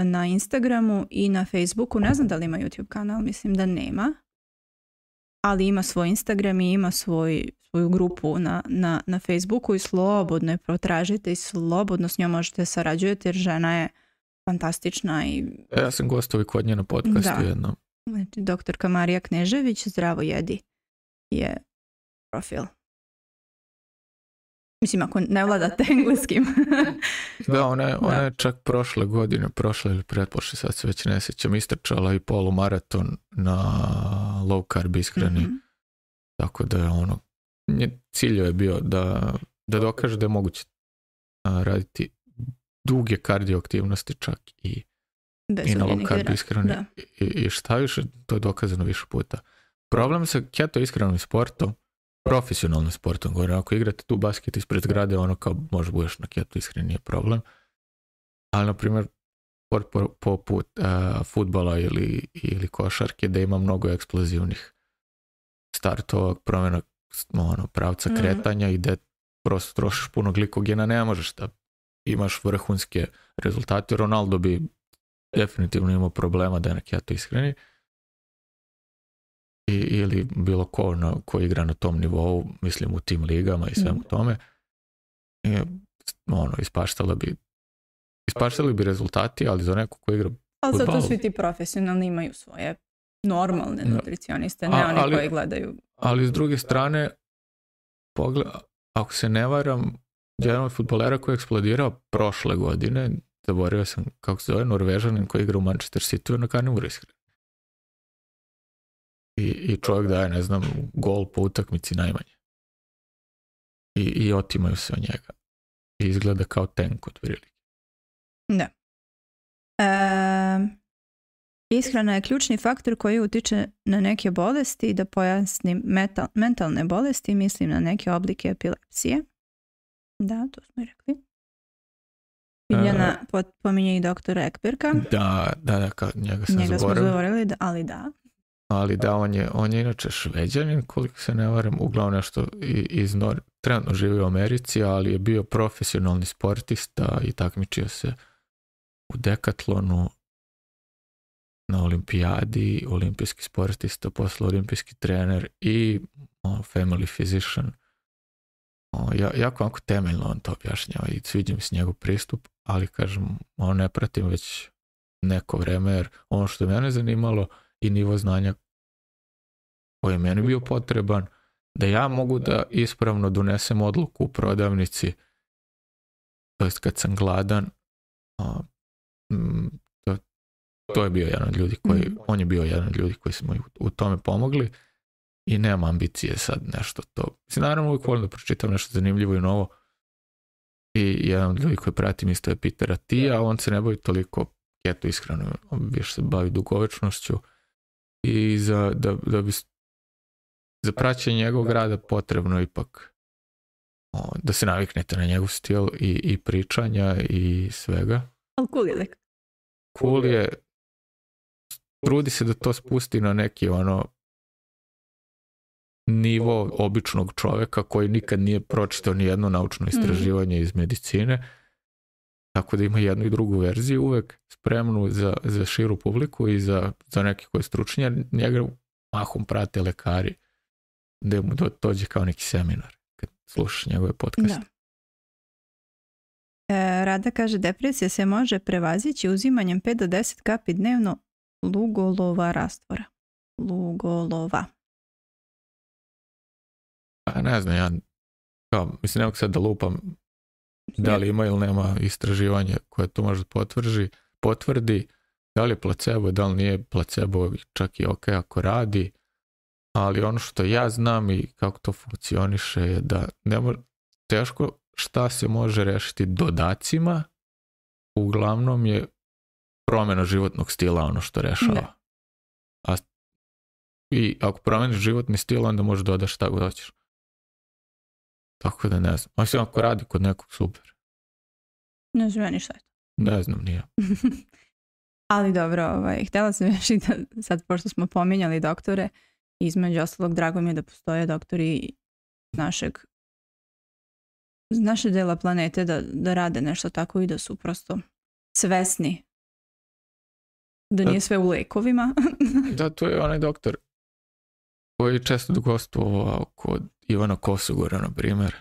na Instagramu i na Facebooku. Ne znam da li ima YouTube kanal, mislim da nema. ali ima svoj Instagram i ima svoju grupu na Facebooku i slobodno je protražite i slobodno s njom možete sarađujete jer žena je fantastična. Ja sam gostovao kod nje na podcastu jednom. Znači, doktorka Marija Knežević, Zdravo jedi je profil. Mislim, ako ne vladate engleskim. Da, ona je čak prošle ili pretprošle, sad se već ne sjećam, istrčala i polumaraton na low carb ishrani. Tako da je cilj je bio da dokaže da je moguće raditi duge kardioaktivnosti čak i na low carb ishrani. I šta više, to je dokazano više puta. Problem sa keto ishranom i sportom, profesionalnim sportom, govorim, ako igrate tu basket ispred zgrade, kao možda budeš na keto ishrani, nije problem. Ali, na primjer, sport poput fudbala ili košarke, da ima mnogo eksplozivnih startova, promjena pravca kretanja i da prosto trošiš puno glikogena, ne možeš da imaš vrhunske rezultate. Ronaldo bi definitivno imao problema da je na keto ishrani. Ili bilo ko igra na tom nivou, mislim u tim ligama i svemu tome, ispaštali bi rezultati, ali za neko ko igra ali zato svi ti profesionalni imaju svoje normalne nutricioniste, ne oni koji gledaju. Ali s druge strane, ako se ne varam, jedan od fudbalera koji je eksplodirao prošle godine, zaboravio sam kako se zove, Norvežanin koji igra u Manchester City na karnivore ishrani. I čovjek daje, ne znam, gol po utakmici najmanje. I otimaju se od njega. I izgleda kao tank od prilike. Da. Ishrana je ključni faktor koji utiče na neke bolesti. Da pojasnim mentalne bolesti, mislim na neke oblike epilepsije. Da, to smo i rekli. Biljana pominje i doktora Ekberga. Da, njega smo zaboravili, ali da. Ali da, on je inače Šveđanin, koliko se ne varam, uglavnom nešto trenutno živi u Americi, ali je bio profesionalni sportista i takmičio se u dekatlonu, na olimpijadi, olimpijski sportista, posle olimpijski trener i family physician. Jako onako temeljno on to objašnjava i sviđa mi se njegov pristup, ali kažem, ne pratim već neko vreme, jer ono što je mene zanimalo i nivo znanja koji je meni bio potreban, da ja mogu da ispravno donesem odluku u prodavnici, to jest kad sam gladan, to je bio jedan od ljudi on je bio jedan od ljudi koji smo u tome pomogli i nemam ambicije sad nešto to. Mislim, naravno uvijek volim da pročitam nešto zanimljivo i novo i jedan od ljudi koji pratim isto je Peter Attia, on se ne bavi toliko keto ishranom, on više se bavi dugovečnošću i da bi za praćenje njegovog rada potrebno ipak da se naviknete na njegov stil i pričanja i svega. Ali cool je. Cool je, trudi se da to spusti na neki nivo običnog čovjeka koji nikad nije pročitao ni jedno naučno istraživanje iz medicine, tako da ima jednu i drugu verziju uvek spremnu za širu publiku i za neke koji stručnje. Njega mahom prate lekari da mu dođe kao neki seminar kad slušaš njegove podcaste. Rada kaže, depresija se može prevazići uzimanjem 5 do 10 kapi dnevno lugolova rastvora. Lugolova. Pa ne znam, ja mislim, ne mogu sad da lupam da li ima ili nema istraživanje koje to može potvrdi, da li je placebo, da li nije placebo, čak i ok ako radi, ali ono što ja znam i kako to funkcioniše je da teško šta se može rešiti dodacima, uglavnom je promjena životnog stila ono što rešava. I ako promeniš životni stil, onda možeš dodaš šta god hoćeš. Tako da ne znam. Mislim, ako radi kod nekog, super. Ne znam ni šta je to. Ne znam, nije. Ali dobro, htjela sam još i da sad, pošto smo pominjali doktore, između ostalog, drago mi je da postoje doktori naše dela planete da rade nešto tako i da su prosto svesni da nije sve u lekovima. Da, to je onaj doktor koji je često gostovao kod Ivana Kosogora, na primjer.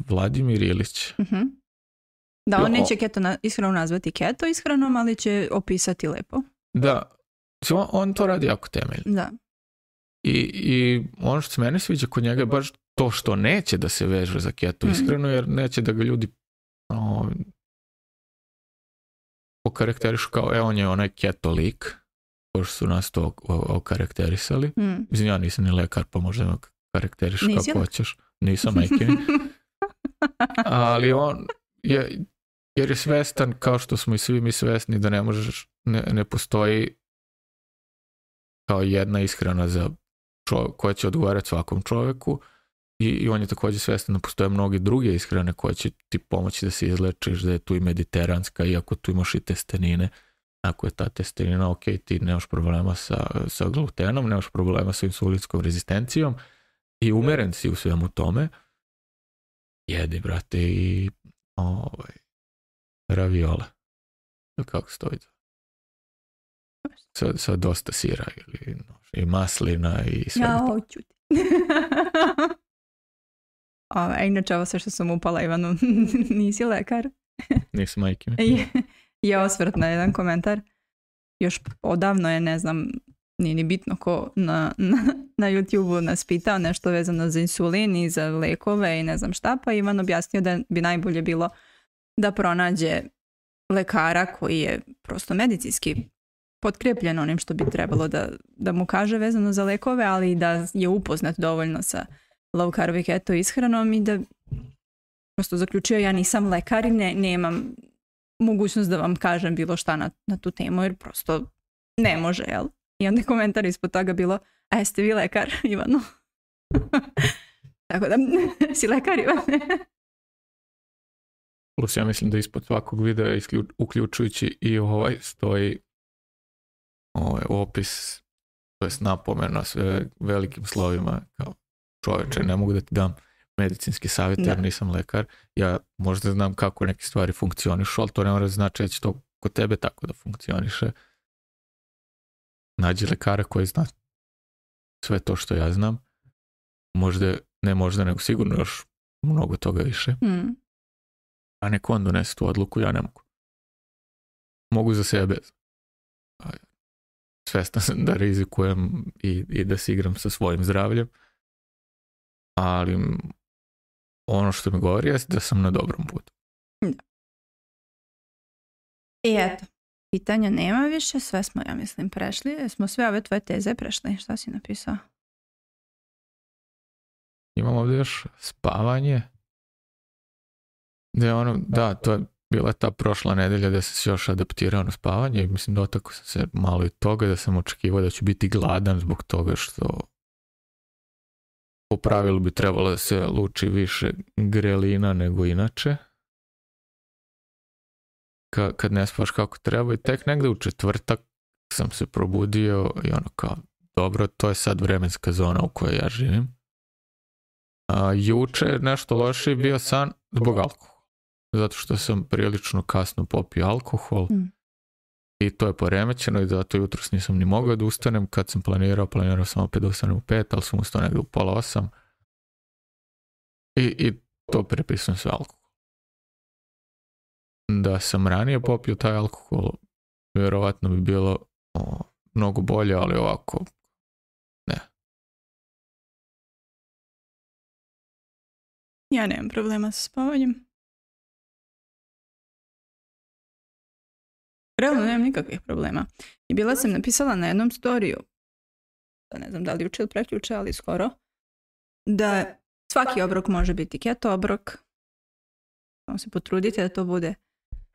Vladimir Ilić. Da, on neće keto ishranu nazvati keto ishranom, ali će opisati lepo. Da, on to radi jako temeljno. Da. I ono što se meni sviđa kod njega je baš to što neće da se veže za keto ishranu, jer neće da ga ljudi okarakterišu kao, on je onaj keto lik, pošto su nas to okarakterisali. Mislim, ja nisam ni lekar, pa možda me karakterišu kako hoćeš. Nisam majke. Ali on je, jer je svestan, kao što smo i svi mi svesni, da ne postoji kao jedna ishrana za koja će odgovarati svakom čoveku, i on je također svestan da postoje mnoge druge ishrane koje će ti pomoći da se izlečiš, da je tu i mediteranska, iako tu imaš i testenine. Ako je ta testenina ok, ti nemaš problema sa glutenom, nemaš problema sa insulinskom rezistencijom i umeren si u svemu tome, jedi, brate, i raviole. Kako stoji? Sa dosta sira i maslina i sve. Ja hoću ti. Inače, ovo sve što sam upala, Ivanu, nisi lekar. Nisam majke. Je osvrt na jedan komentar. Još odavno je, ne znam, nije ni bitno ko na YouTube-u nas pitao nešto vezano za insulin i za lekove i ne znam šta, pa Ivan objasnio da bi najbolje bilo da pronađe lekara koji je prosto medicinski potkrijepljen onim što bi trebalo da mu kaže vezano za lekove, ali da je upoznat dovoljno sa low carb i keto ishranom i da prosto zaključio, ja nisam lekar i nemam mogućnost da vam kažem bilo šta na tu temu, jer prosto ne može, jel? I onda je komentar ispod toga bilo, a jeste vi lekar, Ivano? Tako da, si lekar, Ivane? Plus ja mislim da ispod svakog videa, uključujući i stoji opis, to je napomena sve velikim slovima, kao čoveče, ne mogu da ti dam medicinski savjet jer nisam lekar. Ja možda znam kako neke stvari funkcionišu, ali to ne mora znači da će to kod tebe tako da funkcioniše. Nađi lekara koji zna sve to što ja znam. Možda, nego sigurno još mnogo toga više. A neko on donese tu odluku, ja ne mogu. Mogu za sebe. Svestan sam da rizikujem i da se igram sa svojim zdravljem. Ali ono što mi govori je da sam na dobrom putu. Da. I eto, pitanja nema više, sve smo, ja mislim, prešli. Smo sve ove tvoje teze prešli. Šta si napisao? Imam ovdje još spavanje. To je bila ta prošla nedelja da sam se još adaptirao na spavanje i mislim dotakao sam se malo i toga, da sam očekivao da ću biti gladan zbog toga što po pravilu bi trebalo da se luči više grelina nego inače. Kad ne spavaš kako treba, i tek negde u četvrtak sam se probudio i kao, dobro, to je sad vremenska zona u kojoj ja živim. Juče nešto loše bio san zbog alkohola. Zato što sam prilično kasno popio alkohol i to je poremećeno i zato jutros nisam ni mogao da ustanem. Kad sam planirao sam opet da ustanem u 5, ali sam ustao negdje u 7:30 i to prepisujem sve alkohol. Da sam ranije popio taj alkohol, vjerovatno bi bilo mnogo bolje, ali ovako ne. Ja nemam problema sa spavanjem. Realno nemam nikakvih problema. I bila sam napisala na jednom storiju, ne znam da li juče ili prekjuče, ali skoro, da svaki obrok može biti keto obrok. Samo se potrudite da to bude.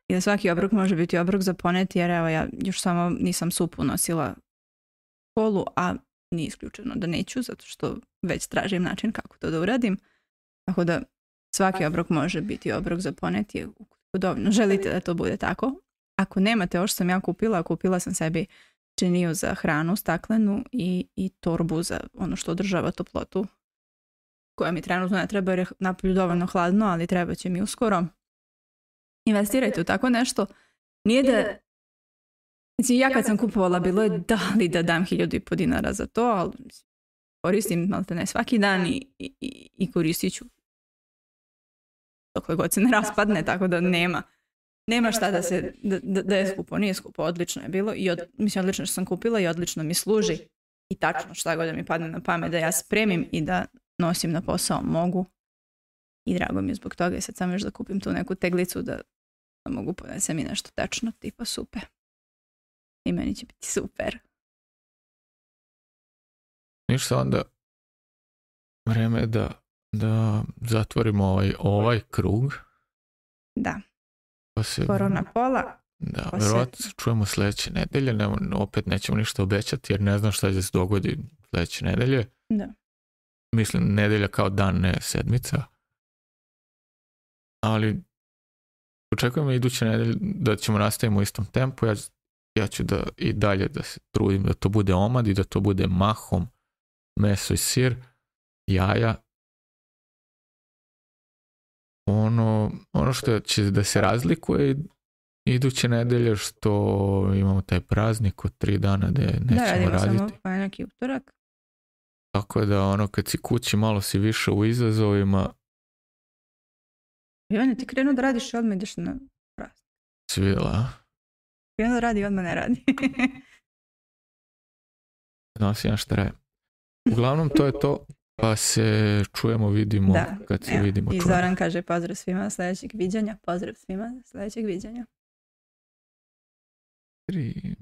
I da svaki obrok može biti obrok za poneti, jer evo ja još samo nisam supu nosila u školu, a nije isključeno da neću, zato što već tražim način kako to da uradim. Tako da svaki obrok može biti obrok za poneti, ukoliko dovoljno želite da to bude tako. Ako nemate ovo što sam ja kupila sam sebi činiju za hranu staklenu i torbu za ono što održava toplotu, koja mi trenutno ne treba jer je napolju dovoljno hladno, ali treba će mi uskoro. Investirajte u tako nešto. Nije da... Znači, ja kad sam kupovala bilo je da li da dam 1.500 dinara za to, ali koristim maltene svaki dan i koristit ću dokle god se ne raspadne, tako da nema šta da je skupo. Nije skupo, odlično je bilo i mislim odlično što sam kupila i odlično mi služi i tačno šta god da mi padne na pamet da ja spremim i da nosim na posao mogu i drago mi je zbog toga i sad samo još da kupim tu neku teglicu da mogu ponesem i nešto tečno tipa supe i meni će biti super. Ništa, onda vreme je da zatvorimo ovaj krug. Da. Korona pola. Da, vjerojatno se čujemo sljedeće nedelje. Opet nećemo ništa obećati jer ne znam šta će se dogodi sljedeće nedelje. Da. Mislim, nedelja kao dan, ne sedmica. Ali očekujemo iduće nedelje da ćemo nastaviti u istom tempu. Ja ću i dalje da se trudim da to bude omad i da to bude mahom meso i sir, jaja. Ono što će da se razlikuje iduće nedelje što imamo taj praznik od 3 dana gde nećemo raditi. Samo ponedjeljak i utorak. Tako da kad si kući malo si više u izazovima. Ivane, ti krenuo da radiš i odmah ideš na praznik. Si vidjela, a? Krenuo da radi i odmah ne radi. Nosi na šta raje. Uglavnom to je to. Pa se čujemo, vidimo kad se vidimo. I Zoran kaže pozdrav svima sljedećeg viđenja. Pozdrav svima sljedećeg viđenja. 3